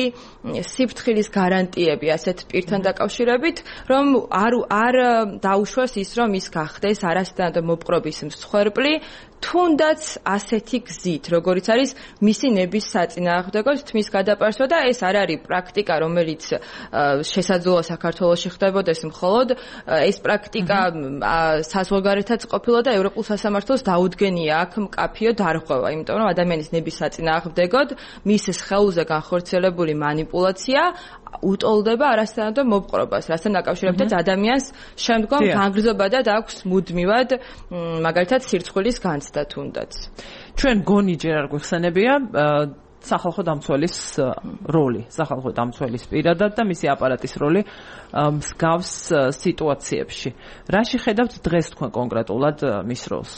C: სიფრთხილის გარანტიები ასეთ პირთან დაკავშირებით, რომ არ არ დაუშვას ის, რომ ის გახდეს არასდროს მოპყრობის მსხვერპლი, თუნდაც ასეთი გზით, როგორიც არის მისი ნების საწინააღმდეგო თმის გადაპარსვა და ეს არ არის პრაქტიკა, რომელიც შესაძლოა საქართველოში ხდებოდეს მხოლოდ, ეს პრაქტიკა საზღვარგარეთაც ყოფილა და ევროპულ სასამართლოს დაუდგენია აქ მკაფიო დარღვევა, იმიტომ რომ ადამიანის ნების საწინააღმდეგოდ მის სხეულზე განხორციელებული манипуляция უტოლდება არასთანადო მოპყრობას, რასთან დაკავშირებითაც ადამიანს შემდგომ განგრძობადად აქვს მუდმივად მაგალითად სირცხვილის განცდა თუნდაც.
A: ჩვენ გონი ჯერ არ გვეხსენებია სახალხო დამცველის როლი, სახალხო დამცველის პირადად და მისი აპარატის როლი მსგავს სიტუაციებში. რაში ხედავთ დღეს თქვენ კონკრეტულად მის როლს?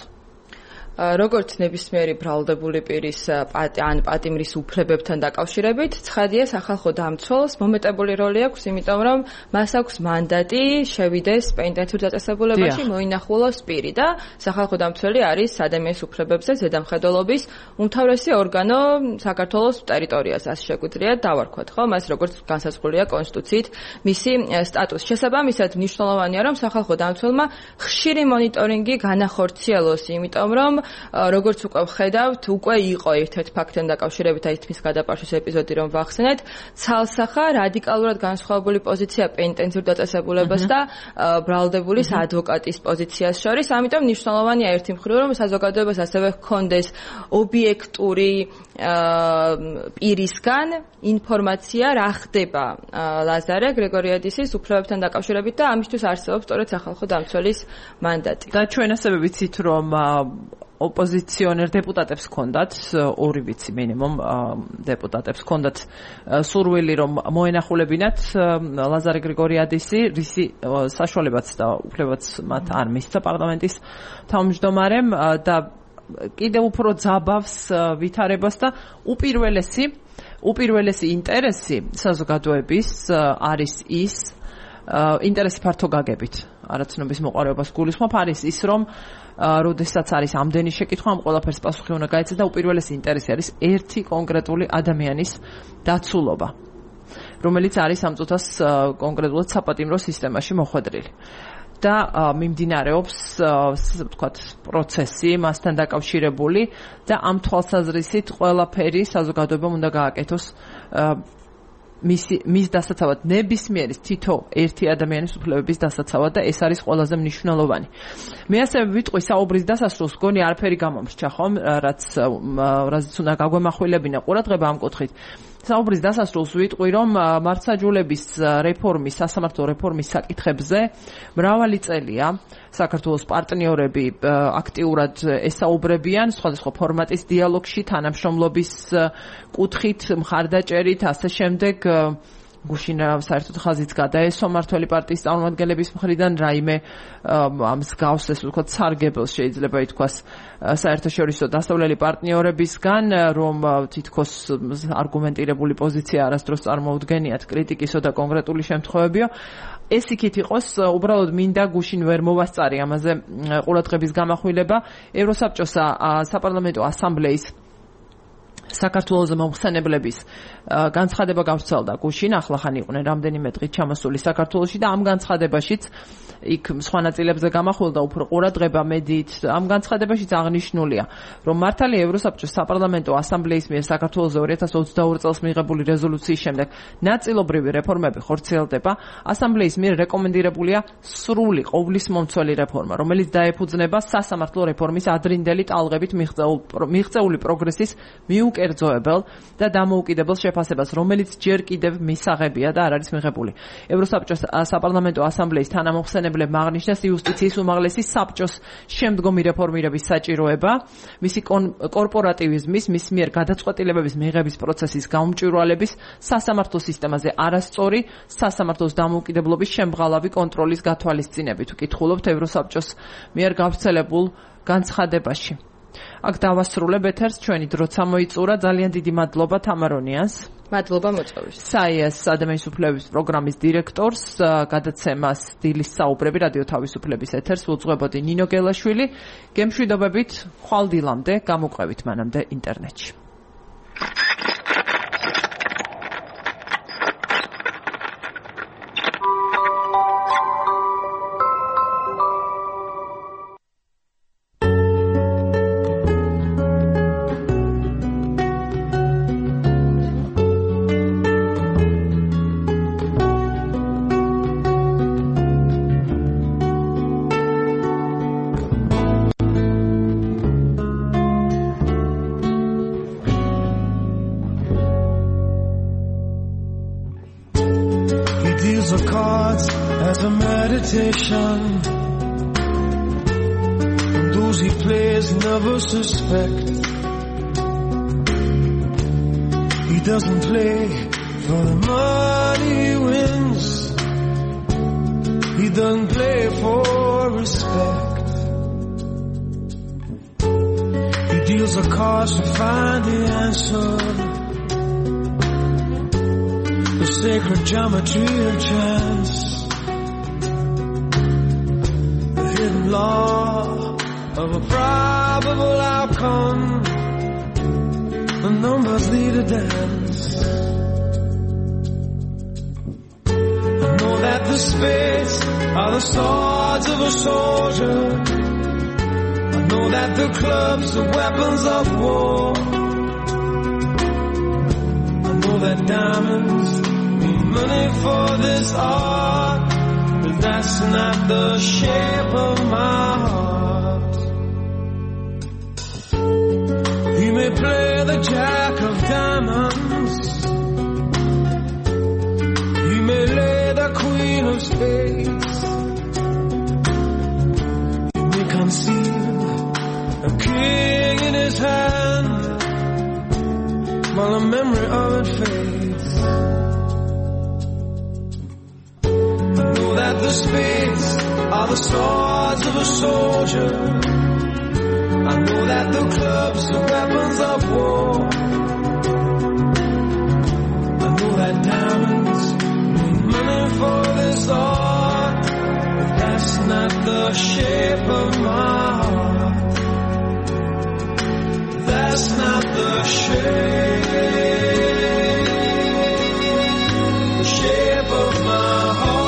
C: როგორც ნებისმიერი ბრალდებული პირის ან პატიმრის უფლებებთან დაკავშირებით, ცხადია სახალხო დამცველს მომეტებული როლი აქვს, იმიტომ რომ მას აქვს მანდატი შევიდეს პენიტენციურ დაწესებულებაში, მოინახულოს პირი და სახალხო დამცველი არის ადამიანის უფლებებზე ზედამხედველობის უმთავრესი ორგანო საქართველოს ტერიტორიაზე, ასე შეგვიძლია დავარქვათ, ხო? მას როგორც განსაზღვრულია კონსტიტუციით მისი სტატუსი. შესაბამისად, მნიშვნელოვანია, რომ სახალხო დამცველმა ხშირი მონიტორინგი განახორციელოს, იმიტომ რომ როგორც უკვე ვხედავთ, უკვე იყო ერთ-ერთ ფაქტთან დაკავშირებით აი თმის გადაპარშვის ეპიზოდი, რომ ვახსენეთ, ცალსახა რადიკალურად განსხვავებული პოზიცია პენიტენციურ დაწესებულებას და ბრალდებულის ადვოკატის პოზიციას შორის, ამიტომ მნიშვნელოვანია ერთი მხრივ, რომ საზოგადოებას ასევე ჰქონდეს ობიექტური პირისგან ინფორმაცია, რა ხდება ლაზარე გრიგორიადისის უფლებებთან დაკავშირებით და ამისთვის არსებობს სწორედ სახალხო დამცველის მანდატი.
A: და ჩვენ ასევე ვიცით, რომ ოპოზიციონერ დეპუტატებს ჰქონდათ, ორი ვიცი მინიმუმ დეპუტატებს ჰქონდათ სურვილი, რომ მოენახულებინათ ლაზარე გრიგორიადისი, რისი საშუალებაც და უფლებაც მათ არ მისცა პარლამენტის თავმჯდომარემ და კიდევ უფრო ძაბავს ვითარებას და უპირველესი უპირველესი ინტერესი საზოგადოების არის ის ინტერესი ფართო გაგებით, არაცნობის მოყარებას გულისხმობ, არის ის, რომ როდესაც არის ამდენი შეკითხვა, ამ ყველაფერს პასუხი უნდა გაეცეს და უპირველესი ინტერესი არის ერთი კონკრეტული ადამიანის დაცულობა, რომელიც არის ამ წუთას კონკრეტულად საპატიმრო სისტემაში მოხვედრილი. და მიმდინარეობს, ვთქვათ, პროცესი მასთან დაკავშირებული და ამ თვალსაზრისით ყველაფერი საზოგადოებამ უნდა გააკეთოს მისი მის დასაცავად, ნებისმიერი თითო ერთი ადამიანის უფლებების დასაცავად და ეს არის ყველაზე მნიშვნელოვანი. მე ასევე ვიტყვი საუბრის დასასრულს, გონი არაფერი გამომრჩა ხომ, რაც რაც უნდა გაგვემახვილებინა ყურადღება ამ კუთხით. საუბრის დასასრულს ვიტყვი, რომ მართლმსაჯულების რეფორმის, სასამართლო რეფორმის საკითხებზე მრავალი წელია საქართველოს პარტნიორები აქტიურად ესაუბრებიან სხვადასხვა ფორმატის დიალოგში, თანამშრომლობის კუთხით, მხარდაჭერით, ასე შემდეგ. გუშინ საერთოდ ხაზიც გადაესვა მმართველი პარტიის წარმომადგენლების მხრიდან რაიმე ამ მსგავს, ესე ვთქვათ, სარგებელს შეიძლება ითქვას საერთაშორისო დასავლელი პარტნიორებისგან, რომ თითქოს არგუმენტირებული პოზიცია არასდროს წარმოუდგენიათ კრიტიკისო და კონკრეტული შემთხვევებიო. ეს იქით იყოს, უბრალოდ მინდა გუშინ ვერ მოვასწარი ამაზე ყურადღების გამახვილება. ევროსაბჭოს საპარლამენტო ასამბლეის საქართველოს მომხსენებლების განცხადება გავრცელდა გუშინ, ახლახან იყვნენ რამდენიმე დღით ჩამოსული საქართველოში და ამ განცხადებაშიც იქ სხვა ნაწილებზე გამახვილდა უფრო ყურადღება მედიით. ამ განცხადებაშიც აღნიშნულია, რომ მართალია ევროსაბჭოს საპარლამენტო ასამბლეის მიერ საქართველოს ორი ათას ოცდაორი წელს მიღებული რეზოლუციის შემდეგ ნაწილობრივი რეფორმები ხორციელდება. ასამბლეის მიერ რეკომენდირებულია სრული ყოვლისმომცველი რეფორმა, რომელიც დაეფუძნება სასამართლო რეფორმის ადრინდელი ტალღებით მიღწეული პროგრესის მიუკერძოებელ და დამოუკიდებელ შეფასებას, რომელიც ჯერ კიდევ მისაღებია და არ არის მიღებული. ევროსაბჭოს საპარლამენტო ასამბლეის თანამომხსენებლებმა აღნიშნეს იუსტიციის უმაღლესი საბჭოს შემდგომი რეფორმირების საჭიროება, მისი კორპორატივიზმის, მის მიერ გადაწყვეტილებების მიღების პროცესის გაუმჭვირვალების, სასამართლო სისტემაზე არასწორი, სასამართლოს დამოუკიდებლობის შემღალავი კონტროლის გათვალისწინებით. ვკითხულობთ ევროსაბჭოს მიერ გავრცელებულ განცხადებაში. აქ დავასრულებ ეთერს, ჩვენი დროც ამოიწურა. ძალიან დიდი მადლობა თამარონიანს.
C: მადლობა მოწვევის.
A: საიას ადამიანის უფლებების პროგრამის დირექტორს, გადაცემას დილის საუბრები რადიო თავისუფლების ეთერს უძღვებოდი ნინო გელაშვილი. გემშვიდობებით, ხვალ დილამდე, გამოყვებით მანამდე ინტერნეტში.
G: And those he plays never suspect. He doesn't play for the money he wins. He doesn't play for respect. He deals the cards to find the answer. The sacred geometry of chance. Law of a probable outcome. The numbers lead a dance. I know that the spades are the swords of a soldier. I know that the clubs are weapons of war. I know that diamonds mean money for this art. But that's not the shape of my heart. He may play the jack of diamonds. He may lay the queen of spades. He may conceal a king in his hand while the memory of it fades. That the spades are the swords of a soldier. I know that the clubs are weapons of war. I know that diamonds mean money for this art. But that's not the shape of my heart. That's not the shape, the shape of my heart.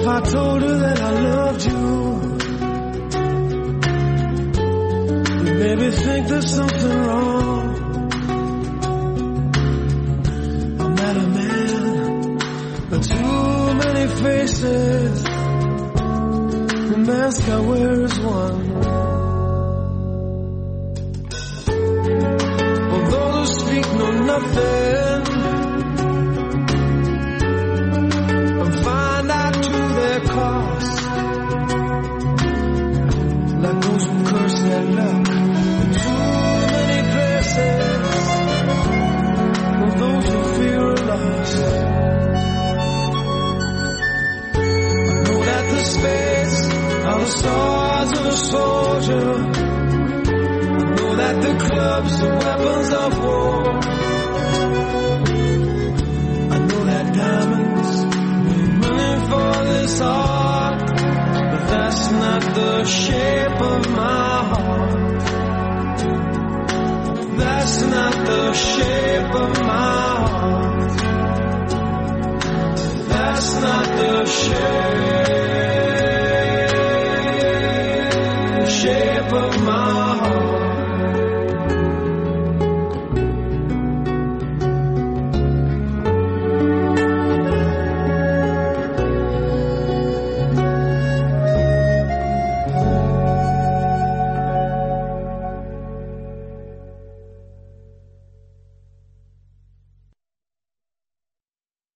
G: if I told her that I loved you? You'd maybe think there's something wrong. I'm not a man, but too many faces. The mask I wear is one. For those who speak know nothing and find out to their cost, like those who curse their luck in too many places. For those who fear a loss, I know that the space are the swords of a soldier. I know that the clubs are weapons of war. I know that diamonds mean money for this art, but that's not the shape of my heart. That's not the shape of my heart. That's not the shape.